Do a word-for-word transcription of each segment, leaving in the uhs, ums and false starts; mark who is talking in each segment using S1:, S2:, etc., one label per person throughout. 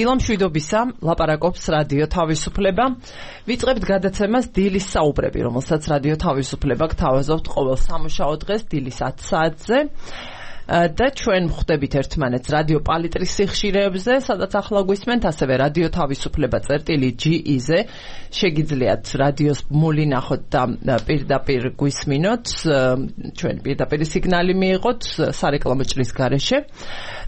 S1: დილა მშვიდობისა, ლაპარაკობს რადიო თავისუფლება. ვიწყებთ გადაცემას დილის საუბრები, რომელსაც რადიო თავისუფლება გთავაზობთ ყოველ სამუშაო დღეს დილის ათი საათზე. და ჩვენ ვხვდებით ერთმანეთს რადიო პალიტრის სიხშირეებზე, სადაც ახლა გვისმენთ, ასევე რადიო თავისუფლება წერტილი ჯი ი-ზე. შეგიძლიათ რადიოს ბმული ნახოთ და პირდაპირ გვისმინოთ, ჩვენ პირდაპირ სიგნალი მიიღოთ სარეკლამო ჭრის გარეშე.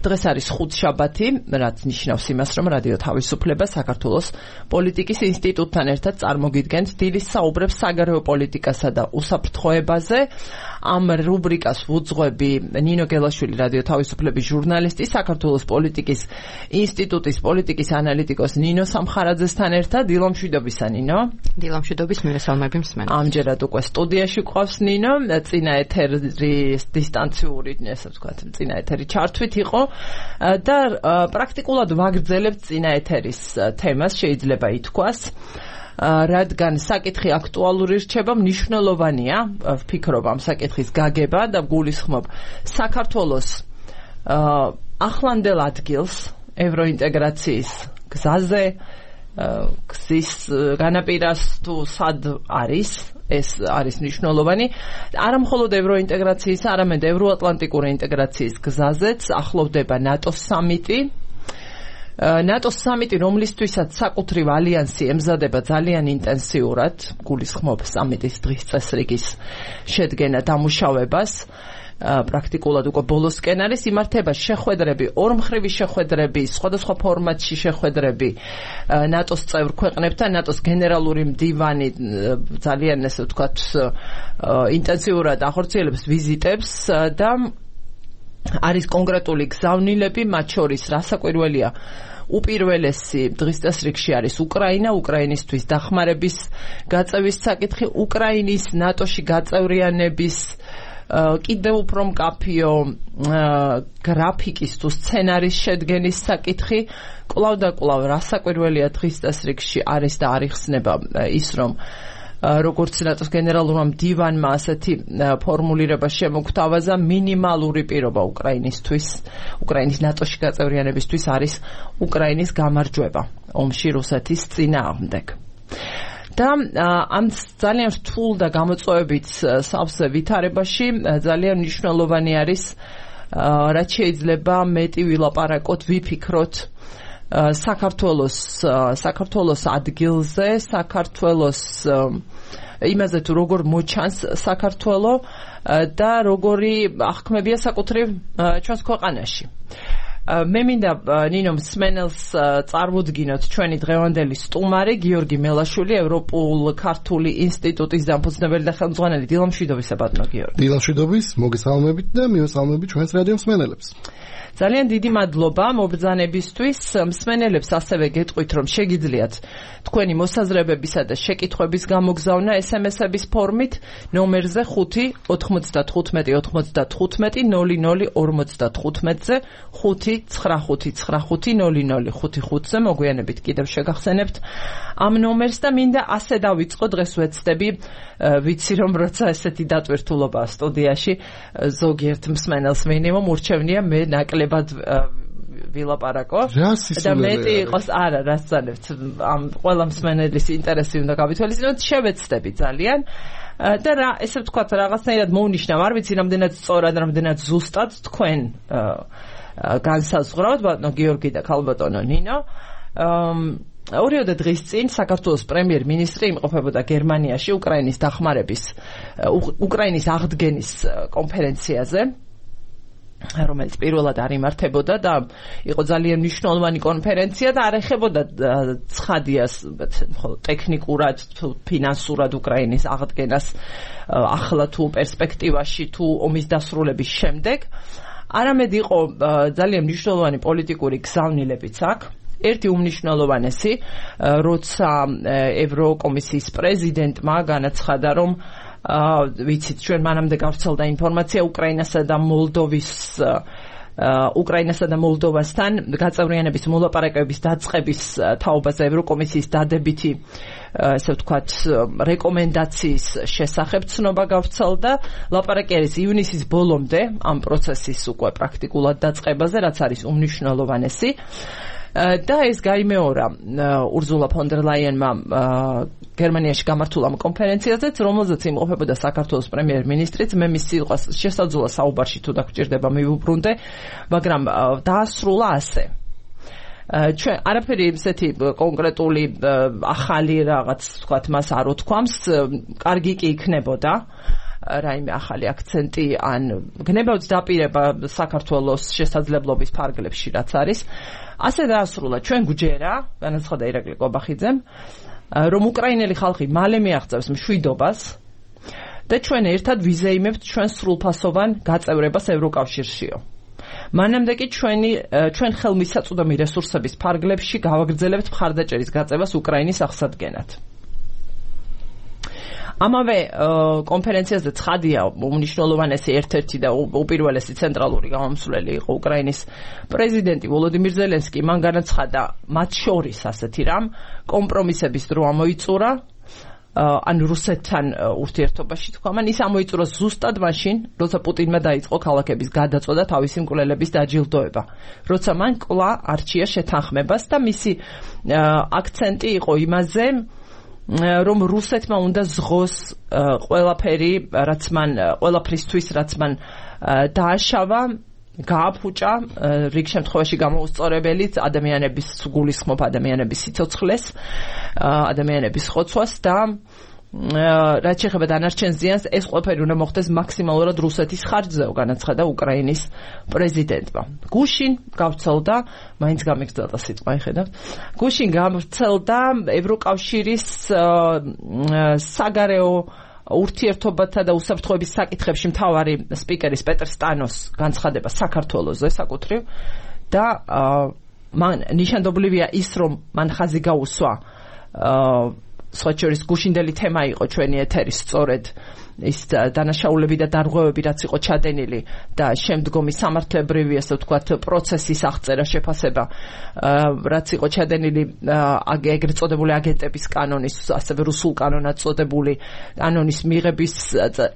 S1: დღეს არის ხუთშაბათი, რაც ნიშნავს იმას, რომ რადიო თავისუფლება საქართველოს პოლიტიკის ინსტიტუტთან ერთად წარმოგიდგენთ დილის საუბრებს საგარეო პოლიტიკასა და უსაფრთხოებაზე. ამ რუბრიკას ვუძღვები ნინო გელაშვილი, რადიო თავისუფლების ჟურნალისტი, საქართველოს პოლიტიკის ინსტიტუტის პოლიტიკის ანალიტიკოს ნინო სამხარაძესთან ერთად. დილა მშვიდობისა, ნინო.
S2: დილა მშვიდობის, მივესალმები მსმენელს.
S1: ამჯერად უკვე სტუდიაში გვყავს ნინო, წინა ეთერის დისტანციური, ესე ვთქვათ, წინა ეთერი ჩართვით იყო და პრაქტიკულად ვაგრძელებთ წინა ეთერის თემას, შეიძლება ითქვას. რადგან საკითხი აქტუალური რჩება, მნიშვნელოვანია, ვფიქრობ ამ საკითხის გაგება და გულისხმობ საქართველოს ახლანდელ ადგილს ევროინტეგრაციის გზაზე, გზის განაპირას თუ სად არის, ეს არის მნიშვნელოვანი. არა მხოლოდ ევროინტეგრაციის, არამედ ევროატლანტიკური ინტეგრაციის გზაზეც ახლოვდება ნატოს სამიტი. ნატოს სამიტი, რომლისთვისაც საკუთრივ ალიანსი ემზადება ძალიან ინტენსიურად, გულისხმობ სამიტის დღის წესრიგის შედგენა დამუშავებას, პრაქტიკულად უკვე ბოლოსკენ არის, იმართება შეხვედრები, ორმხრივი შეხვედრები, სხვადასხვა ფორმატში შეხვედრები ნატოს წევრ ქვეყნებთან, ნატოს გენერალური მდივანი ძალიან, ესე ვთქვათ, ინტენსიურად ახორციელებს ვიზიტებს და არის კონკრეტული გზავნილები, მათ შორის რასაკვირველია, უპირველესი დღის წესრიგში არის უკრაინა, უკრაინისთვის დახმარების გაწევის საკითხი, უკრაინის ნატოში გაწევრიანების კიდევ უფრო მკაფიო გრაფიკის თუ სცენარის შედგენის საკითხი. კვლავ და კვლავ რასაკვირველია დღის წესრიგში არის და არ იხსნება ის, რომ როგორც ნატოს გენერალურმა მდივანმა ასეთი ფორმულირება შემოგთავაზა, მინიმალური პირობა უკრაინისთვის, უკრაინის ნატოში გაწევრიანებისთვის არის უკრაინის გამარჯვება ომში რუსეთის წინააღმდეგ. და ამ ძალიან რთულ და გამოწვევებით სავსე ვითარებაში ძალიან მნიშვნელოვანი არის, რაც შეიძლება მეტი ვილაპარაკოთ, ვიფიქროთ საქართველოს საქართველოს ადგილზე, საქართველოს იმაზე თუ როგორ მოჩანს საქართველო და როგორი აღქმებია საკუთრივ ჩვენს ქვეყანაში. მე მინდა ნინო მსმენელს წარმოვდგინოთ ჩვენი დღევანდელი სტუმარი გიორგი მელაშვილი, ევროპულ-ქართული ინსტიტუტის დამფუძნებელი და ხელმძღვანელი. დილა მშვიდობისა, ბატონო გიორგი.
S3: დილა მშვიდობის, მოგესალმებით და მივესალმებით ჩვენს რადიო მსმენელებს.
S1: ძალიან დიდი მადლობა მობრძანებისთვის. მსმენელებს ასევე გეტყვით, რომ შეგიძლიათ თქვენი მოსაზრებებისა და შეკითხვების გამოგზავნა ეს ემ ეს-ების ფორმით ნომერზე ხუთი ოთხმოცდათხუთმეტი ოცდათხუთმეტი ნული ნული ორმოცდათხუთმეტზე ხუთი ცხრა ხუთი ცხრა ხუთი ნული ნული ხუთი ხუთზე. მოგვიანებით კიდევ შეგახსენებთ ამ ნომერს და მინდა ასე დავიწყო, დღეს ვეცდები, ვიცი რომ როცა ესეთი დატვირთულობა სტუდიაში ზოგიერთ მსმენელს მინიმუმ ურჩევნია მე ნაკლებად ვილაპარაკო და მეტი იყოს, არა, რასწანებთ, ამ ყველა მსმენელის ინტერესი უნდა გავითვალისწინოთ, შევეცდები ძალიან და რა, ესე ვთქვათ, რაღაცნაირად მოვნიშნავ, არ ვიცი რამდენად სწორად, რამდენად ზუსტად თქვენ განსაზღვრავთ, ბატონო გიორგი და ქალბატონო ნინო. ორიოდე დღის წინ საქართველოს პრემიერ-მინისტრი იმყოფებოდა გერმანიაში უკრაინის დახმარების, უკრაინის აღდგენის კონფერენციაზე, რომელიც პირველად არ იმართებოდა და იყო ძალიან მნიშვნელოვანი კონფერენცია და არ ეხებოდა ცხადიას ტექნიკურად, ფინანსურად უკრაინის აღდგენას ახლა თუ პერსპექტივაში თუ ომის დასრულების შემდეგ, არამედ იყო ძალიან მნიშვნელოვანი პოლიტიკური გზავნილებიც აქ. ერთი უმნიშვნელოვანესი, როცა ევროკომისიის პრეზიდენტმა განაცხადა, რომ ვიცით, ჩვენ მანამდე გავრცელდა ინფორმაცია უკრაინასა და მოლდოვის უკრაინასა და მოლდოვასთან გაწევრიანების მოლაპარაკებების დაწყების თაობაზე ევროკომისიის დადებითი, ესე ვთქვათ, რეკომენდაციის შესახებ ცნობა გავრცელდა. ლაპარაკი არის ივნისის ბოლომდე ამ პროცესის უკვე პრაქტიკულად დაწყებაზე, რაც არის უმნიშვნელოვანესი. და ეს გაიმეორა ურზულა ფონ დერ ლაიენმა გერმანიაში გამართულ ამ კონფერენციაზეც, რომელზეც იმყოფებოდა საქართველოს პრემიერ-მინისტრიც, მე მის სიტყვას შესაძლოა საუბარში თუ დაგჭირდება მივუბრუნდე, მაგრამ დაასრულა ასე. ჩვენ არაფერი ისეთი კონკრეტული ახალი რაღაც თქვათ მას არ უთქვამს, კარგი კი იქნებოდა რაიმე ახალი აქცენტი ან გნებავთ დაპირება საქართველოს შესაძლებლობის ფარგლებში რაც არის. ასე დაასრულა ჩვენ გვჯერა, განაცხადა ირაკლი კობახიძემ, რომ უკრაინელი ხალხი მალე მიაღწევს მშვიდობას და ჩვენ ერთად ვიზეიმებთ ჩვენ სრულფასოვან გაწევრებას ევროკავშირშიო. მანამდე კი ჩვენი ჩვენ ხელმისაწვდომი რესურსების ფარგლებში გავაგრძელებთ მხარდაჭერის გაწევას უკრაინის აღსადგენად. ამავე კონფერენციაზე ცხადია უმნიშვნელოვანესი ერთ-ერთი და უპირველესი ცენტრალური გამომსვლელი იყო უკრაინის პრეზიდენტი ვოლოდიმირ ზელენსკი. მან განაცხადა მათ შორის ასეთი რამ კომპრომისების დრო ამოიწურა ან რუსეთთან ურთიერთობაში თქვა, მან ის ამოიწურა ზუსტად მაშინ, როცა პუტინმა დაიწყო ქალაქების გადაწვა და თავისი მკვლელების დაჯილდოება, როცა მან კვლავ არჩია შეთანხმებას და მისი აქცენტი იყო იმაზე, რომ რუსეთმა უნდა ზღოს ყველაფერი, რაც მან ყველაფრისთვის, რაც მან დააშავა, გააფუჭა რიგ შემთხვევაში გამოუსწორებელი ადამიანების გულისხმობ ადამიანების სიცოცხლეს, ადამიანების ხოცვას და რაც შეეხება დანარჩენ ზიანს, ეს ყველაფერი უნდა მოხდეს მაქსიმალურად რუსეთის ხარჯზე, განაცხადა უკრაინის პრეზიდენტმა. გუშინ გავრცელდა, მაინც გამიგრძელდა სიტყვა, ხედავთ. გუშინ გავრცელდა ევროკავშირის საგარეო ურთიერთობათა და უსაფრთხოების საკითხებში მთავარი სპიკერის პეტრ სტანოს განცხადება საქართველოზე საკუთრივ და მან ნიშანდობლივია ის, რომ მან ხაზი გაუსვა სხვა შორის გუშინდელი თემა იყო ჩვენი ეთერის სწორედ ის დანაშაულები და დარღვევები, რაც იყო ჩადენილი და შემდგომი სამართლებრივი, ასე ვთქვათ, პროცესის აღწერა, შეფასება, რაც იყო ჩადენილი ეგრეთ წოდებული აგენტების კანონის, ასევე რუსულ კანონად წოდებული კანონის მიღების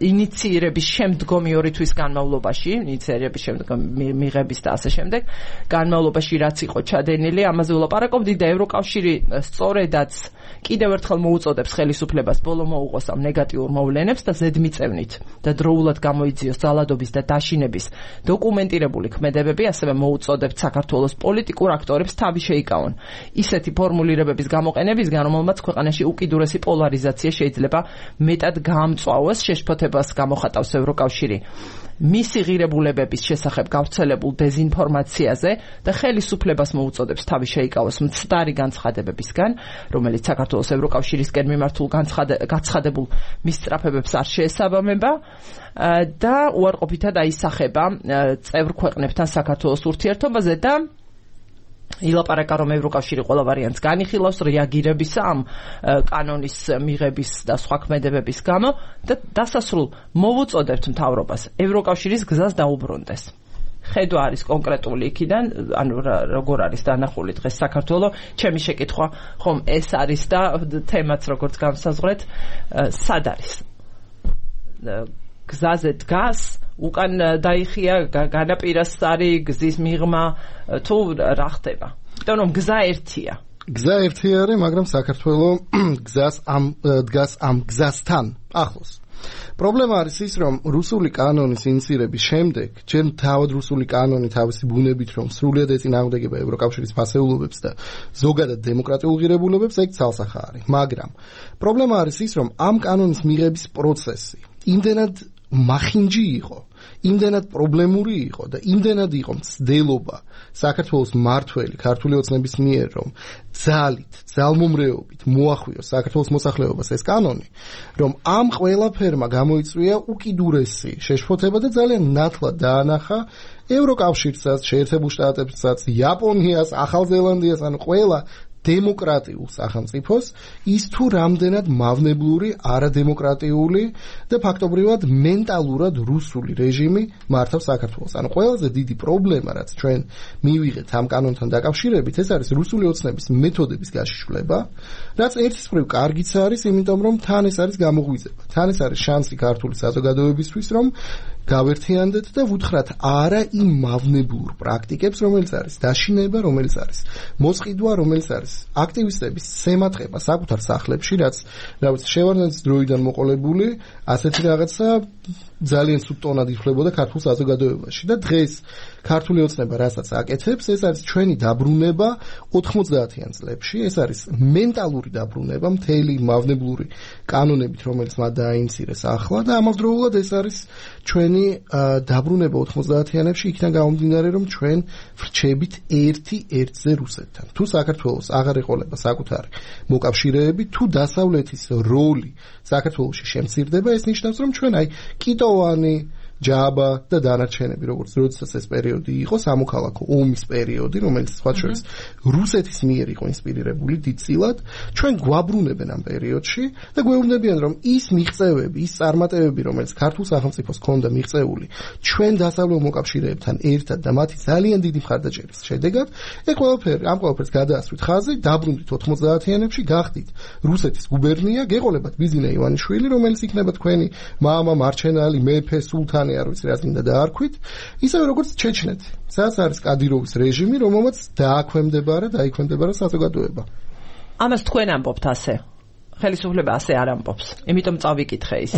S1: ინიციირების შემდგომი ორი თვის განმავლობაში, ინიციირების შემდგომ მიღების და ასე შემდეგ განმავლობაში, რაც იყო ჩადენილი, ამაზე ვლაპარაკობდი და ევროკავშირი სწორედაც კიდევ ერთხელ მოუწოდებს ხელისუფლებას ბოლო მოუყოს ამ ნეგატიურ მოვლენებს და ზედმიწევნით და დროულად გამოიძიოს ძალადობის და დაშინების დოკუმენტირებული ქმედებები, ასევე მოუწოდებთ საქართველოს პოლიტიკურ აქტორებს თავი შეიკავონ ისეთი ფორმულირებების გამოყენებისგან, რომელმაც ქვეყანაში უკიდურესი პოლარიზაცია შეიძლება მეტად გაამწვავოს, შეშფოთებას გამოხატავს ევროკავშირი მისი ღირებულებების შესახებ გავრცელებულ დეზინფორმაციაზე და ხელისუფლებას მოუწოდებს თავი შეიკავოს მცდარი განცხადებებისგან, რომელიც საქართველოს ევროკავშირისკენ მიმართულ გაცხადებულ მისწრაფებებს არ შეესაბამება და უარყოფითად აისახება წევრ ქვეყნებთან საქართველოს ურთიერთობაზე და ილაპარაკა, რომ ევროკავშირი ყველა ვარიანტს განიხილავს რეაგირებისა ამ კანონის მიღების და სხვა ქმედებების გამო და დასასრულ მოვუწოდებთ მთავრობას ევროკავშირის გზას დაუბრუნდეს. ხედვა არის კონკრეტული იქიდან, ანუ როგორ არის დანახული დღეს საქართველო, ჩემი შეკითხვა ხომ ეს არის და თემაც როგორც განსაზღვრეთ, სად არის? გზაზე დგას, უკან დაიხია, განაპირას არის გზის მიღმა, თუ რა ხდება? იმიტომ რომ გზა ერთია.
S3: გზა ერთი არის, მაგრამ საქართველო გზას ამ დგას ამ გზასთან ახლოს. პრობლემა არის ის, რომ რუსული კანონის ინიციირების შემდეგ, ჩვენ თავად რუსული კანონი თავისი ბუნებით, რომ სრულიად ეწინააღმდეგება ევროკავშირის ფასეულობებს და ზოგადად დემოკრატიულ ღირებულებებს, ეგ ცალსახა არის. მაგრამ პრობლემა არის ის, რომ ამ კანონის მიღების პროცესი იმდენად მახინჯი იყო, იმდენად პრობლემური იყო და იმდენად იყო მცდელობა საქართველოს მმართველი ქართული ოცნების მიერ, რომ ძალით, ძალმომრეობით მოახვიოს საქართველოს მოსახლეობას ეს კანონი, რომ ამ ყველაფერმა გამოიწვია უკიდურესი შეშფოთება და ძალიან ნათლად დაანახა ევროკავშირსაც, შეერთებულ შტატებსაც, იაპონიას, ახალ ზელანდიას, ანუ ყველა დემოკრატიულ სახელმწიფოს ის თუ რამდენად მავნებლური, არადემოკრატიული და ფაქტობრივად მენტალურად რუსული რეჟიმი მართავს საქართველოს. ანუ ყველაზე დიდი პრობლემა, რაც ჩვენ მივიღეთ ამ კანონთან დაკავშირებით, ეს არის რუსული ოცნების მეთოდების გაშიშვლება, რაც ერთის მხრივ კარგიც არის, იმიტომ რომ თან ეს არის გამოღვიძება. თან ეს არის შანსი ქართული საზოგადოებისთვის, რომ გავერთიანდეთ და ვუთხრათ არა იმ მავნებლურ პრაქტიკებს, რომელიც არის დაშინება, რომელიც არის მოსყიდვა, რომელიც არის აქტივისტების სემატყება საკუთარ სახლებში, რაც რა ვიცი, შევარდნაძის დროიდან მოყოლებული, ასეთი რაღაცა ძალიან სულ ტონად იხლებოდა ქართულ საზოგადოებაში და დღეს ქართული ოცნება რასაც აკეთებს, ეს არის ჩვენი დაბრუნება ოთხმოცდაათიან წლებში, ეს არის მენტალური დაბრუნება მთელი მავნებლური კანონებით, რომელიც მათ დააინცირეს ახლა და ამავდროულად ეს არის ჩვენი დაბრუნება ოთხმოცდაათიანებში, იქიდან გამომდინარე, რომ ჩვენ ვრჩებით ერთი ერთზე რუსეთთან. თუ საქართველოს აღარ ეყოლება საკუთარი მოკავშირეები, თუ დასავლეთის როლი საქართველოში შემცირდება, ეს ნიშნავს, რომ ჩვენ აი კიტოვანი ჯაბა და დანარჩენები, როგორც როდესაც ეს პერიოდი იყო, სამოქალაქო ომის პერიოდი, რომელიც სხვა შორის რუსეთის მიერ იყო ინსპირირებული დიდწილად, ჩვენ გვაბრუნებენ ამ პერიოდში და გვეუბნებიან, რომ ის მიღწევები, ის წარმატებები, რომელიც ქართულ სახელმწიფოს ჰქონდა მიღწეული, ჩვენ დასავლელ მოკავშირეებთან ერთად და მათი ძალიან დიდი მხარდაჭერის შედეგად, ეს ყველაფერი, ამ ყველაფერს გადაასვით ხაზი, დაბრუნდით ოთხმოცდაათიანებში, გახდით რუსეთის გუბერნია, გეყოლებათ ბიზინა ივანიშვილი, რომელიც იქნება თქვენი მამა, მარჩენალი, მეფე, სულთანი არ ვიცი რა წინდა დაარქვით, ისევე როგორც ჩეჩნეთი, სადაც არის კადიროვის რეჟიმი, რომელმაც დააქვემდებარა, დაიქვემდებარა საზოგადოება.
S1: ამას თქვენ ამბობთ ასე. ხელისუფლება ასე არ ამბობს. იმიტომ წავიკითხე ის.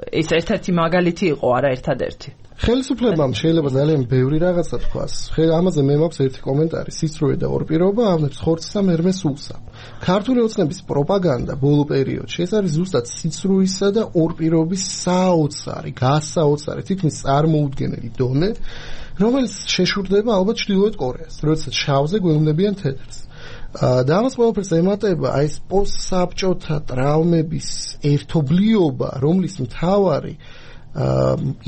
S1: ეს ერთ-ერთი მაგალითი იყო, არა ერთადერთი.
S3: ხელისუფლებამ შეიძლება ძალიან ბევრი რაღაცა თქვას. ამაზე მე მაქვს ერთი კომენტარი, სისწრუე და ორპირობა ავნებს ხორცსა მერმე სულსა. ქართული ოცნების პროპაგანდა ბოლო პერიოდში ეს არის ზუსტად სისწრუისა და ორპირობის საოცარი, გასაოცარი, თითქმის წარმოუდგენელი დონე, რომელიც შეშურდება ალბათ ჩრდილოეთ კორეას, როდესაც შავზე გვეუბნებიან თეთრს. და ამას ყველაფერს ემატება აი ეს პოსტსაბჭოთა ტრავმების ერთობლიობა, რომლის მთავარი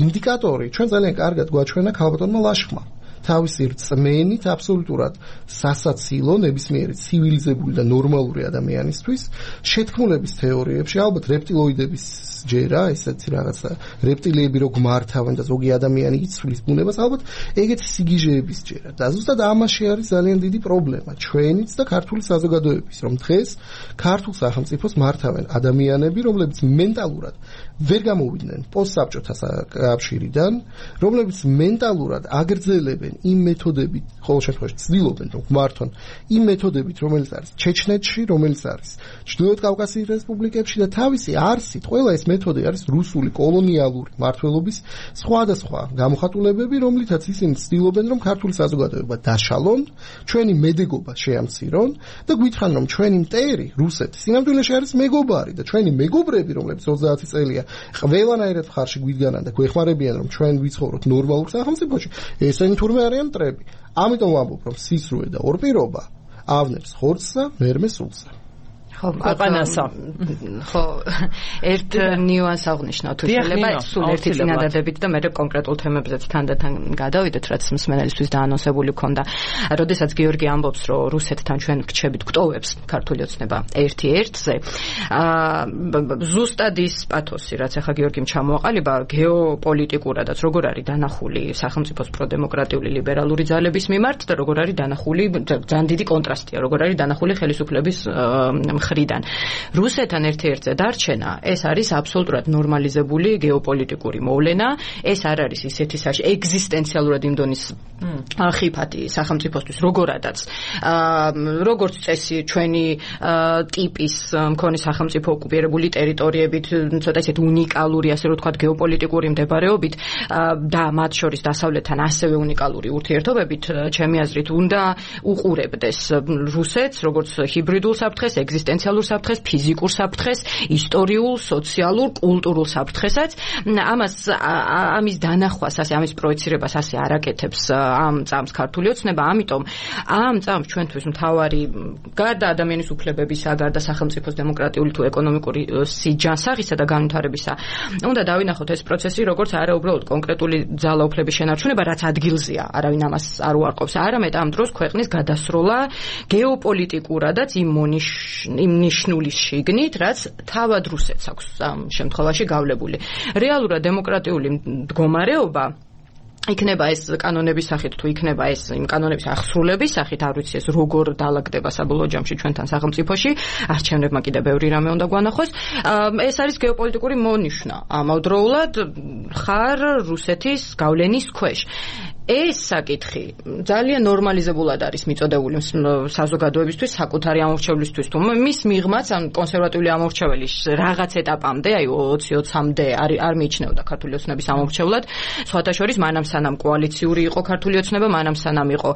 S3: ინდიკატორი ჩვენ ძალიან კარგად გვაჩვენა ქალბატონმა ლაშხმა. თავისი რწმენით აბსოლუტურად სასაცილო ნებისმიერი ცივილიზებული და ნორმალური ადამიანისთვის შეთქმულების თეორიებში, ალბათ რეპტილოიდების ჯერა, ესეთი რაღაცა რეპტილიები რო გმართავენ და ზოგი ადამიანი იცვლის ბუნებას, ალბათ ეგეთი სიგიჟეების ჯერა. და ზუსტად ამაში არის ძალიან დიდი პრობლემა ჩვენიც და ქართული საზოგადოების, რომ დღეს ქართულ სახელმწიფოს მართავენ ადამიანები, რომლებიც მენტალურად ვერ გამოვიდნენ პოსტსაბჭოთა კავშირიდან, რომლებიც მენტალურად აგრძელებენ იმ მეთოდებით, ყოველ შემთხვევაში ცდილობენ რომ მართონ იმ მეთოდებით, რომელიც არის ჩეჩნეთში, რომელიც არის ჩრდილოეთ კავკასიის რესპუბლიკებში და თავისი არსით ყველა ეს მეთოდი არის რუსული კოლონიალური მმართველობის სხვადასხვა გამოხატულებები, რომლითაც ისინი ცდილობენ რომ ქართული საზოგადოება დაშალონ, ჩვენი მედეგობა შეამცირონ და გვითხრან რომ ჩვენი მტერი რუსეთი სინამდვილეში არის მეგობარი და ჩვენი მეგობრები, რომლებიც ოცდაათი წელია ყველანაირად მხარში გვიდგანან და გვეხმარებიან რომ ჩვენ ვიცხოვროთ ნორმალურ სახელმწიფოში, ესენი თურმე არიან მტრები. ამიტომ ვამბობ რომ სისრუე და ორპირობა ავნებს ხორცსა მერმე სულსა.
S2: ხო, აყანასა. ხო, ერთ ნიუანს აღნიშნავ თუ შეიძლება სულ ერთი წინადადებით და მე კონკრეტულ თემებზეც თანდათან გადავიდეთ, რაც მსმენელისთვის დაანონსებული ქონდა. როდესაც გიორგი ამბობს, რომ რუსეთთან ჩვენ ვრჩებით გვტოვებს ქართული ოცნება ერთი ერთზე, აა ზუსტად ის პათოსი, რაც ახლა გიორგიმ ჩამოაყალიბა, გეოპოლიტიკურადაც როგორ არის დანახული სახელმწიფოს პროდემოკრატიული ლიბერალური ძალების მიმართ და როგორ არის დანახული ძალიან დიდი კონტრასტია, როგორ არის დანახული ხელისუფლების მხრიდან. რუსეთთან ერთ-ერთზე დარჩენა, ეს არის აბსოლუტურად ნორმალიზებული გეოპოლიტიკური მოვლენა, ეს არ არის ისეთი საშ ეგზისტენციალურად იმ დონის ხიფათი სახელმწიფოსთვის, როგორადაც როგორც წესი ჩვენი ტიპის მქონე სახელმწიფო ოკუპირებული ტერიტორიებით, ცოტა ისეთ უნიკალური, ასე რომ ვთქვათ, გეოპოლიტიკური მდებარეობით და მათ შორის დასავლეთთან ასევე უნიკალური ურთიერთობებით, ჩემი აზრით, უნდა უყურებდეს რუსეთს, როგორც ჰიბრიდულ საფრთხეს, ეგზისტენციალურ საფრთხეს, ფიზიკურ საფრთხეს, ისტორიულ, სოციალურ, კულტურულ საფრთხესაც. ამას ამის დანახვას, ასე ამის პროექცირებას ასე არ აკეთებს ამ წამს ქართული ოცნება, ამიტომ ამ წამს ჩვენთვის მთავარი გარდა ადამიანის უფლებებისა, გარდა სახელმწიფოს დემოკრატიული თუ ეკონომიკური სიჯანსაღისა და განვითარებისა, უნდა დავინახოთ ეს პროცესი, როგორც არა უბრალოდ კონკრეტული ძალაუფლების შენარჩუნება, რაც ადგილზეა, არავინ ამას არ უარყოფს, არამედ ამ დროს ქვეყნის გადასროლა გეოპოლიტიკურადაც იმ მონიშ იმ ნიშნული შიგნით, რაც თავად რუსეთს აქვს ამ შემთხვევაში გავლებული. რეალურად დემოკრატიული მდგომარეობა იქნება ეს კანონების სახით თუ იქნება ეს იმ კანონების აღსრულების სახით არ ვიცი ეს როგორ დაალაგდება საბოლოო ჯამში ჩვენთან სახელმწიფოში არჩევნებმა კიდე ბევრი რამე უნდა გვანახოს ეს არის გეოპოლიტიკური მონიშნა ამავდროულად ხარ რუსეთის გავლენის ქვეშ ეს საკითხი ძალიან ნორმალიზებულად არის მიწოდებული საზოგადოებისთვის საკუთარი ამორჩევლისთვის თუ მის მიღმაც ან კონსერვატიული ამორჩეველი რაღაც ეტაპამდე აი ოცი ოცამდე არ არ მიიჩნეოდა ქართული ოცნების ამორჩევლად სხვათა შორის მანამ სანამ კოალიციური იყო ქართული ოცნება მანამ სანამ იყო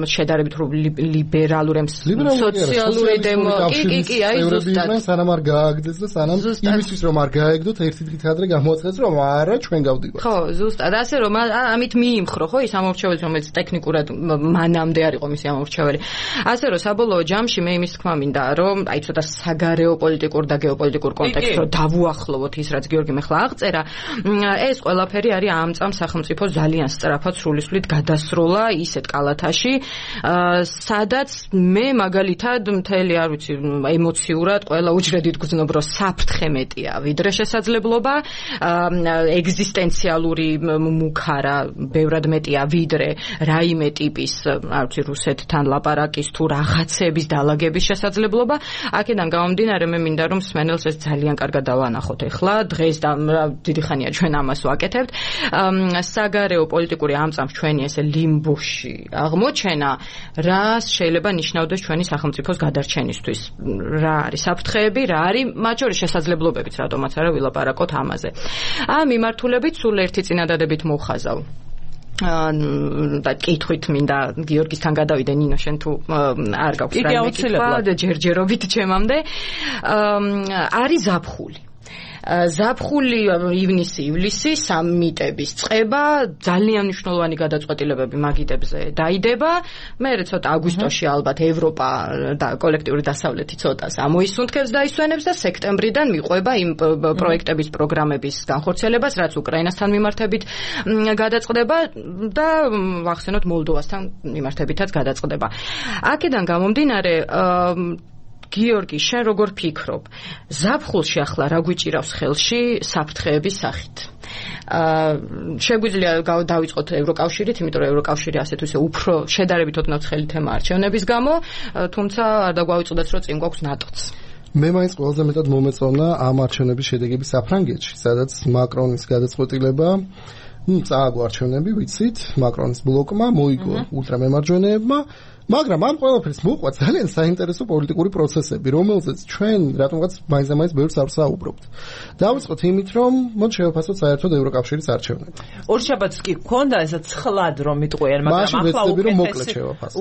S2: შედარებით ლიბერალური სოციალური დემოკრატი კი კი აი ზუსტად
S3: სანამ არ გააგდეს და სანამ იმისთვის რომ არ გააგდოთ ერთი დღით ადრე გამოაცხადეს რომ არა ჩვენ გავდივართ
S2: ხო ზუსტად ასე რომ ამით მიიმხრო ხო ის ამორჩეველი რომელიც ტექნიკურად მანამდე არ იყო მისი ამორჩეველი ასე რომ საბოლოო ჯამში მე იმის თქმა მინდა რომ აი ცოტა საგარეო პოლიტიკურ და გეოპოლიტიკურ კონტექსტს რომ დავუახლოვოთ ის რაც გიორგი მეხლა აღწერა ეს ყველაფერი არის ამ წამ სახელმწიფო ძალიან სწრაფად სრულისვლით გადასროლა ისეთ კალათაში სადაც მე მაგალითად მთელი არ ვიცი ემოციურად ყველა უჯრედით გძნობ რომ საფრთხე მეტია ვიდრე შესაძლებლობა ეგზისტენციალური მუქარა ბევრად მეტია ვიდრე რაიმე ტიპის არ ვიცი რუსეთთან ლაპარაკის თუ რაღაცების დაალაგების შესაძლებლობა აქედან გამომდინარე მე მინდა რომ სმენელს ეს ძალიან კარგად დავანახოთ ეხლა დღეს და დიდი ხანია ჩვენ ამას ვაკეთებთ საგარეო პოლიტიკური ამ წამს ჩვენი ესე ლიმბოში აღმოჩენა რა შეიძლება ნიშნავდეს ჩვენი სახელმწიფოს გადარჩენისთვის რა არის საფრთხეები რა არის მათ შორის შესაძლებლობებიც რატომაც არა ვილაპარაკოთ ამაზე ამ მიმართულებით სულ ერთი წინადადებით მოვხაზავ და კითხვით მინდა გიორგისთან გადავიდე ნინო შენ თუ არ გაქვს რაიმე კითხვა და ჯერჯერობით ჩემამდე არის ზაფხული ზაფხული ივნისი ივლისი სამიტების წება ძალიან მნიშვნელოვანი გადაწყვეტილებები მაგიდებზე დაიდება მე ცოტა აგვისტოში ალბათ ევროპა და კოლექტიური დასავლეთი ცოტას ამოისუნთქებს და ისვენებს და სექტემბრიდან მიყვება იმ პროექტების პროგრამების განხორციელებას რაც უკრაინასთან მიმართებით გადაწყდება და ვახსენოთ მოლდოვასთან მიმართებითაც გადაწყდება აქედან გამომდინარე გიორგი, შენ როგორ ფიქრობ? ზაფხულში ახლა რა გვიჭირავს ხელში საფრთხეების სახით? აა შეგვიძლია დავიწყოთ ევროკავშირით, იმიტომ რომ ევროკავშირი ასეთ ისე უფრო შედარებით ოდნავ ცხელი თემა არჩევნების გამო, თუმცა არ დაგვავიწყდეს რომ წინ გვაქვს ნატოც.
S3: მე მაინც ყველაზე მეტად მომეწონა ამ არჩევნების შედეგები საფრანგეთში, სადაც მაკრონის გადაწყვეტილება ნუ წააგო არჩევნები, ვიცით, მაკრონის ბლოკმა მოიგო ულტრამემარჯვენეებმა მაგრამ ამ ყველაფერს მოყვა ძალიან საინტერესო პოლიტიკური პროცესები, რომელზეც ჩვენ რატომღაც მაინც-მაინც ბევრს არ ვსაუბრობთ. დავიწყოთ იმით, რომ მოდ შევაფასოთ საერთოდ ევროკავშირის არჩევნები.
S1: ორ შაბათს კი გქონდა ესა ცხლად რომ მიტყვიან, მაგრამ ახლა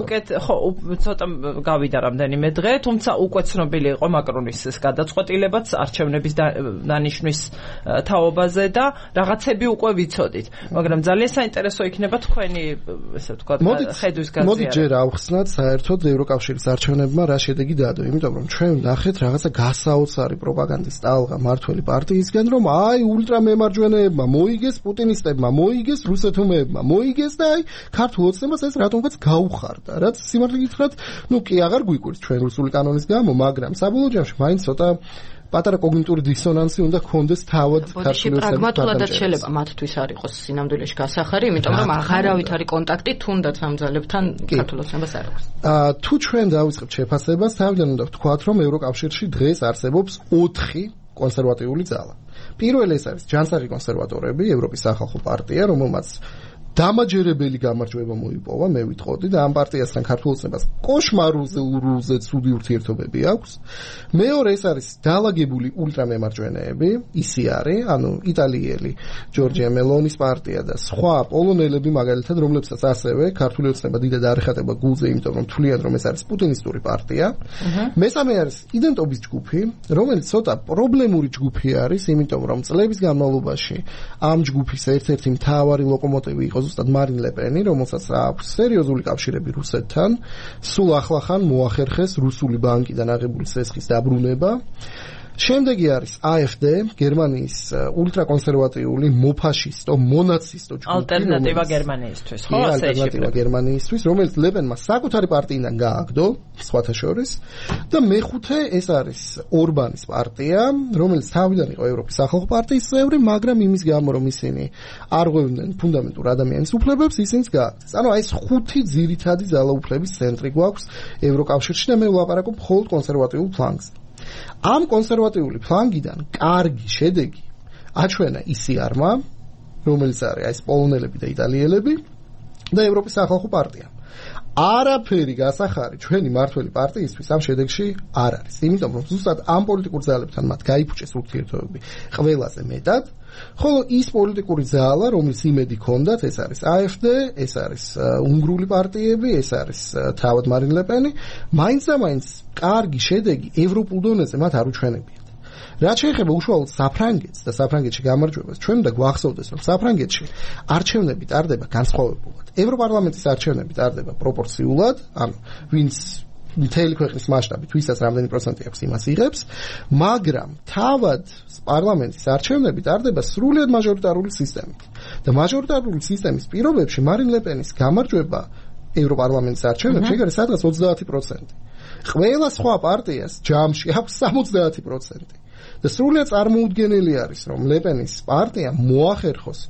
S1: უკეთ ხო ცოტა გავიდა რამდენიმე დღე, თუმცა უკვე ცნობილი იყო მაკრონის ეს გადაწყვეტილებაც არჩევნების დანიშნვის თაობაზე და რაღაცები უკვე ვიცოდით. მაგრამ ძალიან საინტერესო იქნება თქვენი ესე ვთქვათ ხედვის გაზიარება.
S3: მოდი ჯერ ავხსნათ საერთოდ ევროკავშირის არჩევნებმა რა შედეგი დადო, იმიტომ რომ ჩვენ ნახეთ რაღაცა გასაოცარი პროპაგანდის ტალღა მართველი პარტიისგან, რომ აი ულტრამემარჯვენეებმა მოიგეს, პუტინისტებმა მოიგეს, რუსეთუმეებმა მოიგეს და აი ქართულ ოცნებას ეს რატომღაც გაუხარდა. რაც სიმართლე გითხრათ, ნუ კი აღარ გვიკვირს ჩვენ რუსული კანონის გამო, მაგრამ საბოლოო ჯამში მაინც ცოტა პატარა კოგნიტური დისონანსი უნდა გქონდეს თავად
S2: ქართული ოცნების. პრაგმატულადაც შეიძლება მათთვის არ იყოს სინამდვილეში გასახარი, იმიტომ რომ აღარავით არის კონტაქტი თუნდაც ამ ძალებთან ქართულ ოცნებას არ აქვს.
S3: აა თუ ჩვენ დავიწყებთ შეფასებას, თავიდან უნდა ვთქვათ, რომ ევროკავშირში დღეს არსებობს ოთხი კონსერვატიული ძალა. პირველი ეს არის ჯანსაღი კონსერვატორები, ევროპის სახალხო პარტია, რომელმაც დამაჯერებელი გამარჯვება მოიპოვა, მე ვიტყოდი და ამ პარტიასთან ქართულ ოცნებას კოშმარულზე ცუდი ურთიერთობები აქვს. მეორე ეს არის დაალაგებული ულტრამემარჯვენეები, ისი არის, ანუ იტალიელი ჯორჯია მელონის პარტია და სხვა პოლონელები მაგალითად, რომლებსაც ასევე ქართული ოცნება დიდად არ ეხატება გულზე, იმიტომ რომ თვლიან რომ ეს არის პუტინისტური პარტია. მესამე არის იდენტობის ჯგუფი, რომელიც ცოტა პრობლემური ჯგუფი არის, იმიტომ რომ წლების განმავლობაში ამ ჯგუფის ერთ-ერთი მთავარი ლოკომოტივი იყო ზუსტად მარინ ლეპენი, რომელსაც აქვს სერიოზული კავშირები რუსეთთან, სულ ახლახან მოახერხეს რუსული ბანკიდან აღებული სესხის დაბრუნება. შემდეგი არის A F D, გერმანიის ულტრაკონსერვატიული, მოფაშისტო, მონაცისტო ჯგუფი,
S1: ალტერნატივა გერმანიისთვის, ხო, ასე
S3: ალტერნატივა გერმანიისთვის, რომელიც ლებენმა საკუთარი პარტიიდან გააგდო, სხვათა შორის, და მეხუთე ეს არის ორბანის პარტია, რომელიც თავიდან იყო ევროპის სახალხო პარტიის წევრი, მაგრამ იმის გამო, რომ ისინი არ ღვევდნენ ფუნდამენტურ ადამიანის უფლებებს, ისინიც გააგდეს. ანუ აი ეს ხუთი ძირითადი ძალაუფლების ცენტრი გვაქვს ევროკავშირში და მე ვლაპარაკობ მხოლოდ კონსერვატიულ ფლანგზე. ამ კონსერვატიული ფლანგიდან კარგი შედეგი აჩვენა ი სი არ-მა, რომელიც არის აი ეს პოლონელები და იტალიელები და ევროპის სახალხო პარტია. არაფერი გასახარი ჩვენი მართველი პარტიისთვის ამ შედეგში არ არის. იმიტომ რომ ზუსტად ამ პოლიტიკურ ძალებთან მათ გაიფუჭეს ურთიერთობები ყველაზე მეტად, ხოლო ის პოლიტიკური ძალა, რომელიც იმედი ჰქონდათ, ეს არის A F D, ეს არის უნგრული პარტიები, ეს არის თავად მარინ ლე პენი, მაინც და მაინც კარგი შედეგი ევროპულ დონეზე მათ არ უჩვენებიათ. რაც შეეხება უშუალოდ საფრანგეთს და საფრანგეთში გამარჯვებას, ჩვენ უნდა გვახსოვდეს, რომ საფრანგეთში არჩევნები ტარდება განსხვავებულად. ევროპარლამენტის არჩევნები ტარდება პროპორციულად, ანუ ვინც მთელი ქვეყნის მასშტაბით ვისაც რამდენი პროცენტი აქვს იმას იღებს, მაგრამ თავად პარლამენტის არჩევნები ტარდება სრულიად მაჟორიტარული სისტემით. და მაჟორიტარული სისტემის პირობებში მარინ ლე პენის გამარჯვება ევროპარლამენტის არჩევნებში ეგ არის სადღაც ოცდაათი პროცენტი. ყველა სხვა პარტიას ჯამში აქვს სამოცდაათი პროცენტი. და სრულიად წარმოუდგენელი არის, რომ ლე პენის პარტია მოახერხოს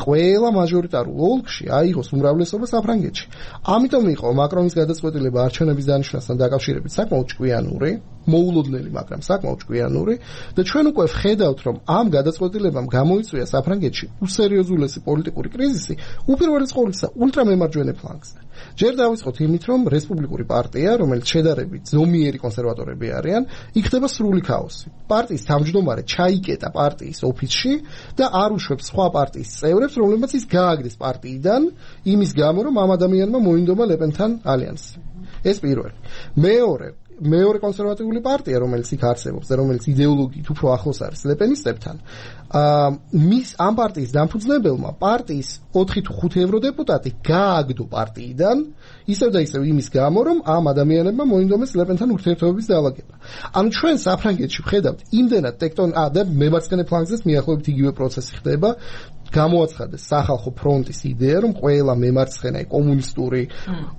S3: ყველა მაჟორიტარულ ოლქში აიღოს უმრავლესობა საფრანგეთში. ამიტომ იყო მაკრონის გადაწყვეტილება არჩევნების დანიშვნასთან დაკავშირებით საკმაოდ ჭკვიანური, მოულოდნელი, მაგრამ საკმაოდ ჭკვიანური და ჩვენ უკვე ვხედავთ, რომ ამ გადაწყვეტილებამ გამოიწვია საფრანგეთში უსერიოზულესი პოლიტიკური კრიზისი, უპირველეს ყოვლისა ულტრამემარჯვენე ფლანგზე. ჯერ დავიწყოთ იმით, რომ რესპუბლიკური პარტია, რომელიც შედარებით ზომიერი კონსერვატორები არიან, იქნება სრული ქაოსი. პარტიის თავმჯდომარე ჩაიკეტა პარტიის ოფისში და არ უშვებს სხვა პარტიის წევრებს, რომლებიც ის გააგდეს პარტიიდან, იმის გამო, რომ ამ ადამიანმა მოინდომა ლე პენთან ალიანსი. ეს პირველი. მეორე მეორე კონსერვატიული პარტია, რომელიც იქ არსებობს და რომელიც იდეოლოგიით უფრო ახლოს არის ლე პენისტებთან, აა მის ამ პარტიის დამფუძნებელმა პარტიის ოთხი თუ ხუთი ევროდეპუტატი გააგდო პარტიიდან, ისევ და ისევ იმის გამო, რომ ამ ადამიანებმა მოინდომეს ლე პენთან ურთიერთობების დაალაგება. ანუ ჩვენ საფრანგეთში ვხედავთ იმდენად ტექტონ ა და მემარცხენე ფლანგზეც მიახლოებით იგივე პროცესი ხდება. გამოაცხადეს სახალხო ფრონტის იდეა, რომ ყველა მემარცხენე კომუნისტური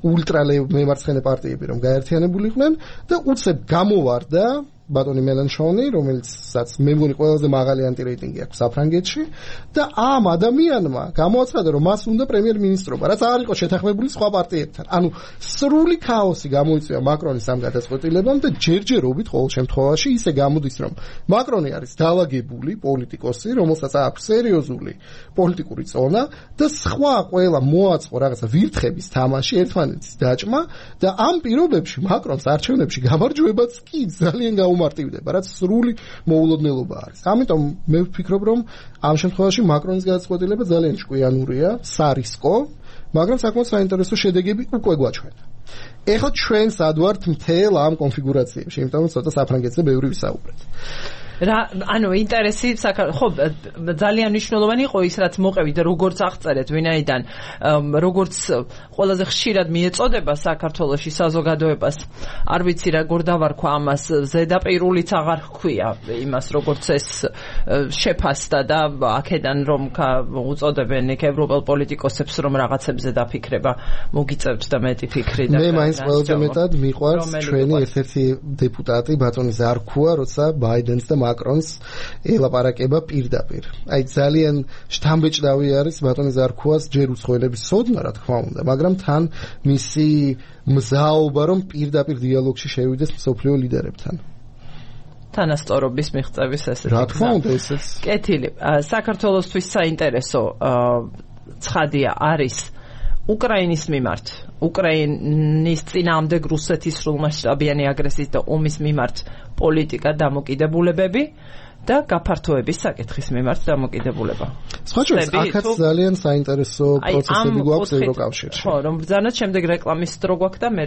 S3: ულტრალე მემარცხენე პარტიები რომ გაერთიანებულიყვნენ და უცებ გამოვარდა ბატონი მელანშონი, რომელიცაც მე მგონი ყველაზე მაღალი ანტირეიტინგი აქვს საფრანგეთში და ამ ადამიანმა გამოაცხადა, რომ მას უნდა პრემიერ-მინისტრობა, რაც არ იყო შეთანხმებული სხვა პარტიებთან. ანუ სრული ქაოსი გამოიწვია მაკრონის ამ გადაწყვეტილებამ და ჯერჯერობით ყოველ შემთხვევაში ისე გამოდის, რომ მაკრონი არის დაალაგებული პოლიტიკოსი, რომელსაც აქვს სერიოზული პოლიტიკური წონა და სხვა ყველა მოაწყო რაღაცა ვირთხების თამაში, ერთმანეთის დაჭმა და ამ პირობებში მაკრონს არჩევნებში გამარჯვებაც კი ძალიან გაუმარტივდება, რაც სრული მოულოდნელობა არის. ამიტომ მე ვფიქრობ, რომ ამ შემთხვევაში მაკრონის გადაწყვეტილება ძალიან ჭკვიანურია, სარისკო, მაგრამ საკმაოდ საინტერესო შედეგები უკვე გვაჩვენა. ეხლა ჩვენ სად ვართ მთელ ამ კონფიგურაციებში, იმიტომ რომ ცოტა საფრანგეთზე ბევრი ვისაუბრეთ.
S1: რა ანუ ინტერესი ხო ძალიან მნიშვნელოვანი იყო ის რაც მოყევით როგორც აღწერეთ ვინაიდან როგორც ყველაზე ხშირად მიეწოდება საქართველოში საზოგადოებას არ ვიცი რა გორდავარქვა ამას ზედაპირულიც აღარ ჰქვია იმას როგორც ეს შეფასდა და აქედან რომ უწოდებენ იქ ევროპელ პოლიტიკოსებს რომ რაღაცებზე დაფიქრება მოგიწევთ და მეტი ფიქრი და
S3: მე მაინც ყველაზე მეტად მიყვარს ჩვენი ერთ-ერთი დეპუტატი ბატონი ზარქუა როცა ბაიდენს და მაკრონს ელაპარაკება პირდაპირ. აი ძალიან შთამბეჭდავი არის ბატონი ზარქუას ჯერ უცხოელების სოდნა რა თქმა უნდა, მაგრამ თან მისი მზაობა რომ პირდაპირ დიალოგში შევიდეს მსოფლიო ლიდერებთან.
S1: თანასწორობის მიღწევის ესეთი.
S3: რა თქმა უნდა ესეც.
S1: კეთილი. საქართველოსთვის საინტერესო ცხადია არის უკრაინის მიმართ, უკრაინის წინააღმდეგ რუსეთის სრულმასშტაბიანი აგრესიის და ომის მიმართ პოლიტიკა დამოკიდებულებები და გაფართოების საკითხის მიმართ დამოკიდებულება.
S3: სხვა შორის აქაც ძალიან საინტერესო პროცესები გვაქვს ევროკავშირში.
S1: ხო, რომ ბრძანოთ შემდეგ რეკლამის დრო გვაქვს და მე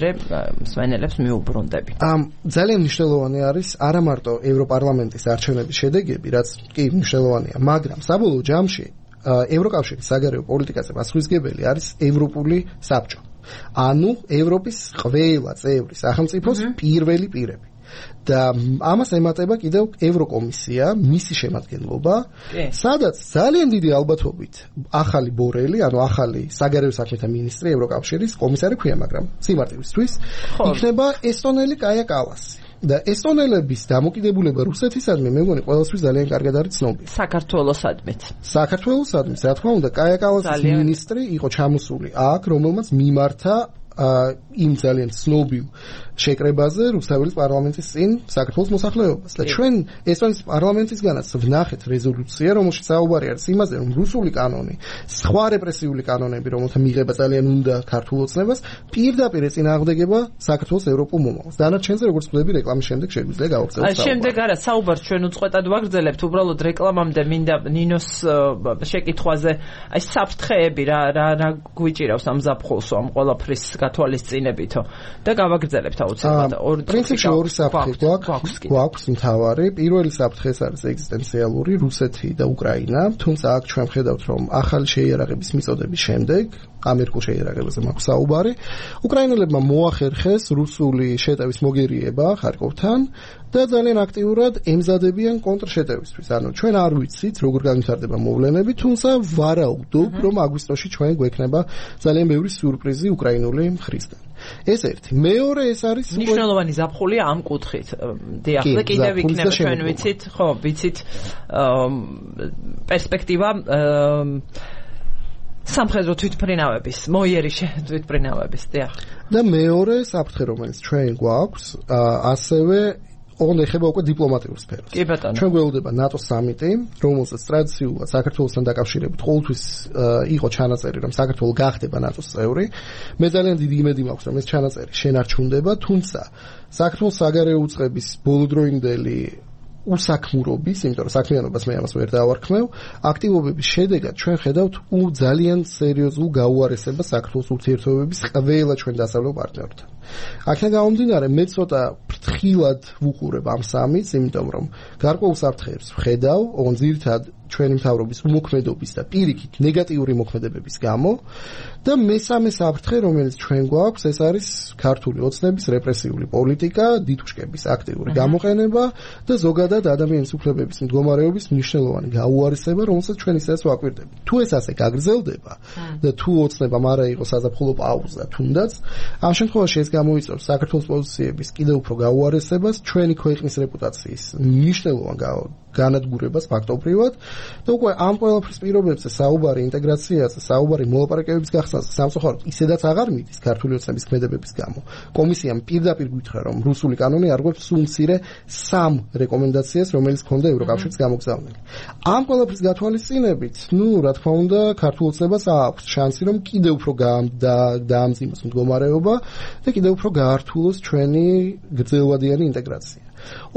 S1: მსმენელებს მიუბრუნდები.
S3: ამ ძალიან მნიშვნელოვანი არის არა მარტო ევროპარლამენტის არჩევნების შედეგები, რაც კი მნიშვნელოვანია, მაგრამ საბოლოო ჯამში ევროკავშირის საგარეო პოლიტიკაზე პასუხისმგებელი არის ევროპული საბჭო. ანუ ევროპის ყველა წევრი სახელმწიფოს პირველი პირები. და ამას ემატება კიდევ ევროკომისია, მისი შემადგენლობა, სადაც ძალიან დიდი ალბათობით ახალი ბორელი, ანუ ახალი საგარეო საქმეთა მინისტრი ევროკავშირის კომისარი ქვია, მაგრამ სიმარტივისთვის იქნება ესტონელი კაია კალასი. და ესტონელების დამოკიდებულება რუსეთისადმი მე მგონი ყველასთვის ძალიან კარგად არის ცნობილი.
S1: საქართველოსადმით.
S3: საქართველოსადმით, რა თქმა უნდა, კაია კალასის მინისტრი იყო ჩამოსული აქ, რომელმაც მიმართა იმ ძალიან ცნობილ შეკრებაზე რუსთაველის პარლამენტის წინ საქართველოს მოსახლეობას და ჩვენ ესტონეთის პარლამენტისგანაც ვნახეთ რეზოლუცია, რომელშიც საუბარი არის იმაზე, რომ რუსული კანონი, სხვა რეპრესიული კანონები, რომელთა მიღება ძალიან უნდა ქართულ ოცნებას, პირდაპირ ეწინააღმდეგება საქართველოს ევროპულ მომავალს. დანარჩენზე, როგორც ვთქვი, რეკლამის შემდეგ შეგვიძლია გავაგრძელოთ.
S1: აი, შემდეგ არა, საუბარს ჩვენ უწყვეტად ვაგრძელებთ, უბრალოდ რეკლამამდე მინდა ნინოს შეკითხვაზე, აი, საფრთხეები რა რა რა გვიჭირავს ამ ზაფხულსო, ამ ყველაფრის გათვალისწინებითო და გავაგრძელებთ აუცილებლად.
S3: პრინციპში ორი საფრთხე გვაქვს, გვაქვს მთავარი. პირველი საფრთხე არის ეგზისტენციალური, რუსეთი და უკრაინა, თუმცა აქ ჩვენ ვხედავთ, რომ ახალი შეიარაღების მიწოდების შემდეგ ამერიკულ შეიარაღებაზე მაქვს საუბარი. უკრაინელებმა მოახერხეს რუსული შეტევის მოგერიება ხარკოვთან და ძალიან აქტიურად ემზადებიან კონტრშეტევისთვის. ანუ ჩვენ არ ვიცით, როგორ განვითარდება მოვლენები, თუმცა ვარაუდობ, რომ აგვისტოში ჩვენ გვექნება ძალიან ბევრი სიურპრიზი უკრაინული მხრისგან. ეს ერთი. მეორე ეს არის
S1: მნიშვნელოვანი ზაფხულია ამ კუთხით. დიახ, და კიდევ იქნება ჩვენ ვიცით, ხო, ვიცით პერსპექტივა სამხედრო თვითმფრინავების, მოიერიშ თვითმფრინავების, დიახ.
S3: და მეორე საფრთხე, რომელიც ჩვენ გვაქვს, ასევე ოღონდ ეხება უკვე დიპლომატიურ სფეროს.
S1: კი ბატონო.
S3: ჩვენ გველოდება ნატოს სამიტი, რომელსაც ტრადიციულად საქართველოსთან დაკავშირებით ყოველთვის იყო ჩანაწერი, რომ საქართველო გახდება ნატოს წევრი. მე ძალიან დიდი იმედი მაქვს, რომ ეს ჩანაწერი შენარჩუნდება, თუმცა საქართველოს საგარეო უწყების ბოლოდროინდელი უსაქმურობის, იმიტომ რომ საქმიანობას მე ამას ვერ დავარქმევ, აქტივობების შედეგად ჩვენ ხედავთ ძალიან სერიოზულ გაუარესებას საქართველოს ურთიერთობების ყველა ჩვენ დასავლელ პარტნიორთან. აქედან გამომდინარე, მე ცოტა ფრთხილად ვუყურებ ამ სამიტს, იმიტომ რომ გარკვეულ საფრთხეებს ვხედავ, ოღონდ ძირითადად ჩვენი მთავრობის უმოქმედობის და პირიქით ნეგატიური მოქმედებების გამო და მესამე საფრთხე, რომელიც ჩვენ გვაქვს, ეს არის ქართული ოცნების რეპრესიული პოლიტიკა, დიდუშკების აქტიური გამოყენება და ზოგადად ადამიანის უფლებების მდგომარეობის მნიშვნელოვანი გაუარესება, რომელსაც ჩვენ ისედაც ვაკვირდებით. თუ ეს ასე გაგრძელდება და თუ ოცნებამ არა იყოს საზაფხულო პაუზა თუნდაც, ამ შემთხვევაში ეს გამოიწვევს საქართველოს პოზიციების კიდევ უფრო გაუარესებას, ჩვენი ქვეყნის რეპუტაციის მნიშვნელოვან განადგურებას ფაქტობრივად და უკვე ამ ყველაფრის პირობებზე საუბარი ინტეგრაციაზე, საუბარი მოლაპარაკებების გახსნაზე სამწუხაროდ ისედაც აღარ მიდის ქართული ოცნების ქმედებების გამო. კომისიამ პირდაპირ გითხრა, რომ რუსული კანონი არღვევს სულ მცირე სამ რეკომენდაციას, რომელიც ჰქონდა ევროკავშირის გამოგზავნილი. ამ ყველაფრის გათვალისწინებით, ნუ რა თქმა უნდა, ქართულ ოცნებას აქვს შანსი, რომ კიდევ უფრო დაამძიმოს მდგომარეობა და კიდევ უფრო გაართულოს ჩვენი გრძელვადიანი ინტეგრაცია.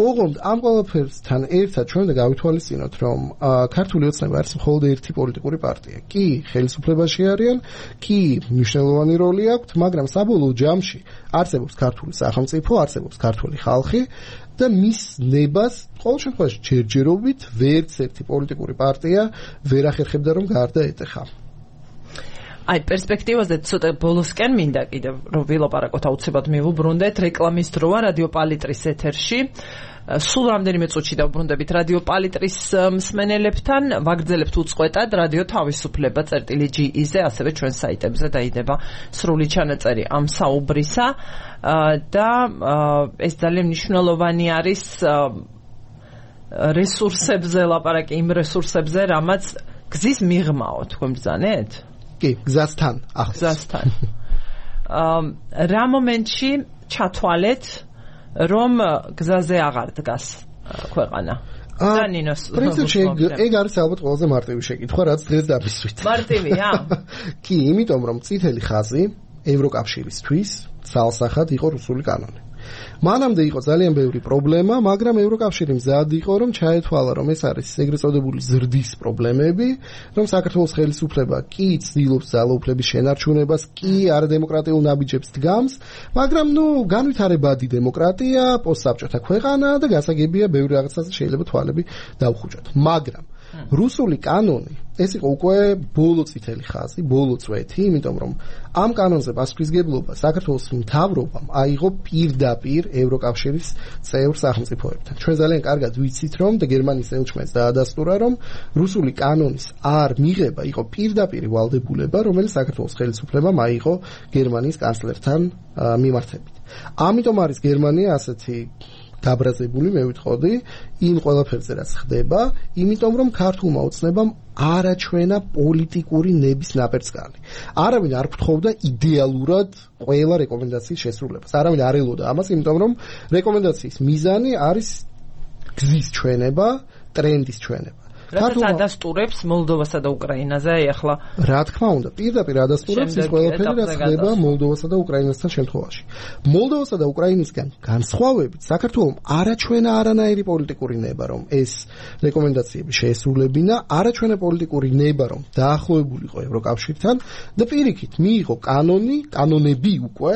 S3: ოღონდ ამ ყველაფერსთან ერთად ჩვენ უნდა გავითვალისწინოთ, რომ ქართული ოცნება არის მხოლოდ ერთი პოლიტიკური პარტია. კი, ხელისუფლებაში არიან, კი, მნიშვნელოვანი როლი აქვთ, მაგრამ საბოლოო ჯამში არსებობს ქართული სახელმწიფო, არსებობს ქართული ხალხი და მის ნებას ყოველ შემთხვევაში ჯერჯერობით ვერც ერთი პოლიტიკური პარტია ვერ ახერხებდა, რომ გარდაეტეხა.
S1: აი, პერსპექტივაზე ცოტა ბოლოსკენ მინდა კიდევ რომ ვილაპარაკოთ, აუცილებლად მივუბრუნდეთ რეკლამის დროა რადიო პალიტრის ეთერში. სულ რამდენიმე წუთში დავუბრუნდებით რადიო პალიტრის მსმენელებთან, ვაგრძელებთ უწყვეტად რადიო თავისუფლება წერტილი ჯი-ზე, ასევე ჩვენ საიტებზე დაიდება სრული ჩანაწერი ამ საუბრისა და ეს ძალიან მნიშვნელოვანი არის რესურსებზე ლაპარაკი, იმ რესურსებზე, რამაც გზის მიღმაო, თქვენ ბრძანეთ?
S3: კი, გზასთან, ახლოს.
S1: გზასთან. რა მომენტში ჩათვალეთ, რომ გზაზე აღარ დგას ქვეყანა? დანინოს.
S3: პრინციპში ეგ არის ალბათ ყველაზე მარტივი შეკითხვა, რაც დღეს დამისვით.
S1: მარტივია?
S3: კი, იმიტომ რომ წითელი ხაზი ევროკავშირისთვის ძალსახად იყო რუსული კანონი. მანამდე იყო ძალიან ბევრი პრობლემა, მაგრამ ევროკავშირი მზად იყო, რომ ჩაეთვალა, რომ ეს არის ეგრეთ წოდებული ზრდის პრობლემები, რომ საქართველოს ხელისუფლება კი ცდილობს ძალაუფლების შენარჩუნებას, კი არადემოკრატიულ ნაბიჯებს დგამს, მაგრამ ნუ განვითარებადი დემოკრატია, პოსტსაბჭოთა ქვეყანა და გასაგებია ბევრი რაღაცაზე შეიძლება თვალები დავხუჭოთ. მაგრამ რუსული კანონი ეს იყო უკვე ბოლო წითელი ხაზი, ბოლო წვეთი, იმიტომ რომ ამ კანონზე პასუხისმგებლობა საქართველოს მთავრობამ აიღო პირდაპირ ევროკავშირის წევრ სახელმწიფოებთან. ჩვენ ძალიან კარგად ვიცით, რომ და გერმანიის ელჩმენს დაადასტურა, რომ რუსული კანონის არ მიღება იყო პირდაპირი ვალდებულება, რომელიც საქართველოს ხელისუფლებამ აიღო გერმანიის კანცლერთან მიმართებით. ამიტომ არის გერმანია ასეთი დაბრაზებული, მე ვიტყოდი, იმ ყველაფერზე რაც ხდება, იმიტომ რომ ქართულმა ოცნებამ არაჩვენა პოლიტიკური ნების ნაპერწკალი. არავინ არ გთხოვდა იდეალურად ყველა რეკომენდაციის შესრულებას. არავინ არ ელოდა ამას, იმიტომ რომ რეკომენდაციის მიზანი არის გზის ჩვენება, ტრენდის ჩვენება.
S1: რადგან ადასტურებს მოლდოვასა და უკრაინაზე ახლა
S3: რა თქმა უნდა პირდაპირ ადასტურებს ის ყველაფერი რაც ხდება მოლდოვასა და უკრაინასთან შემთხვევაში. მოლდოვასა და უკრაინისგან განსხვავებით საქართველოს არაჩვენა არანაირი პოლიტიკური ნება რომ ეს რეკომენდაციები შეესრულებინა, არაჩვენა პოლიტიკური ნება რომ დაახლოებულიყო ევროკავშირთან და პირიქით მიიღო კანონი, კანონები უკვე,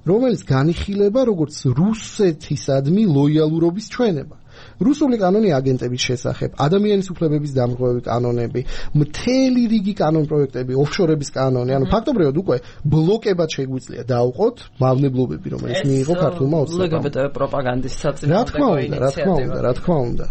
S3: რომელიც განიხილება როგორც რუსეთისადმი ლოიალურობის ჩვენება. რუსული კანონი აგენტების შესახებ, ადამიანის უფლებების დამღები კანონები, მთელი რიგი კანონ პროექტები, ოფშორების კანონი, ანუ ფაქტობრივად უკვე ბლოკებად შეგვიძლია დაუყოთ მავნებლობები, რომელიც მიიღო ქართულმა ოცნებამ.
S1: ლგბტ პროპაგანდის საწინააღმდეგო
S3: რა თქმა უნდა, რა თქმა უნდა, რა თქმა უნდა.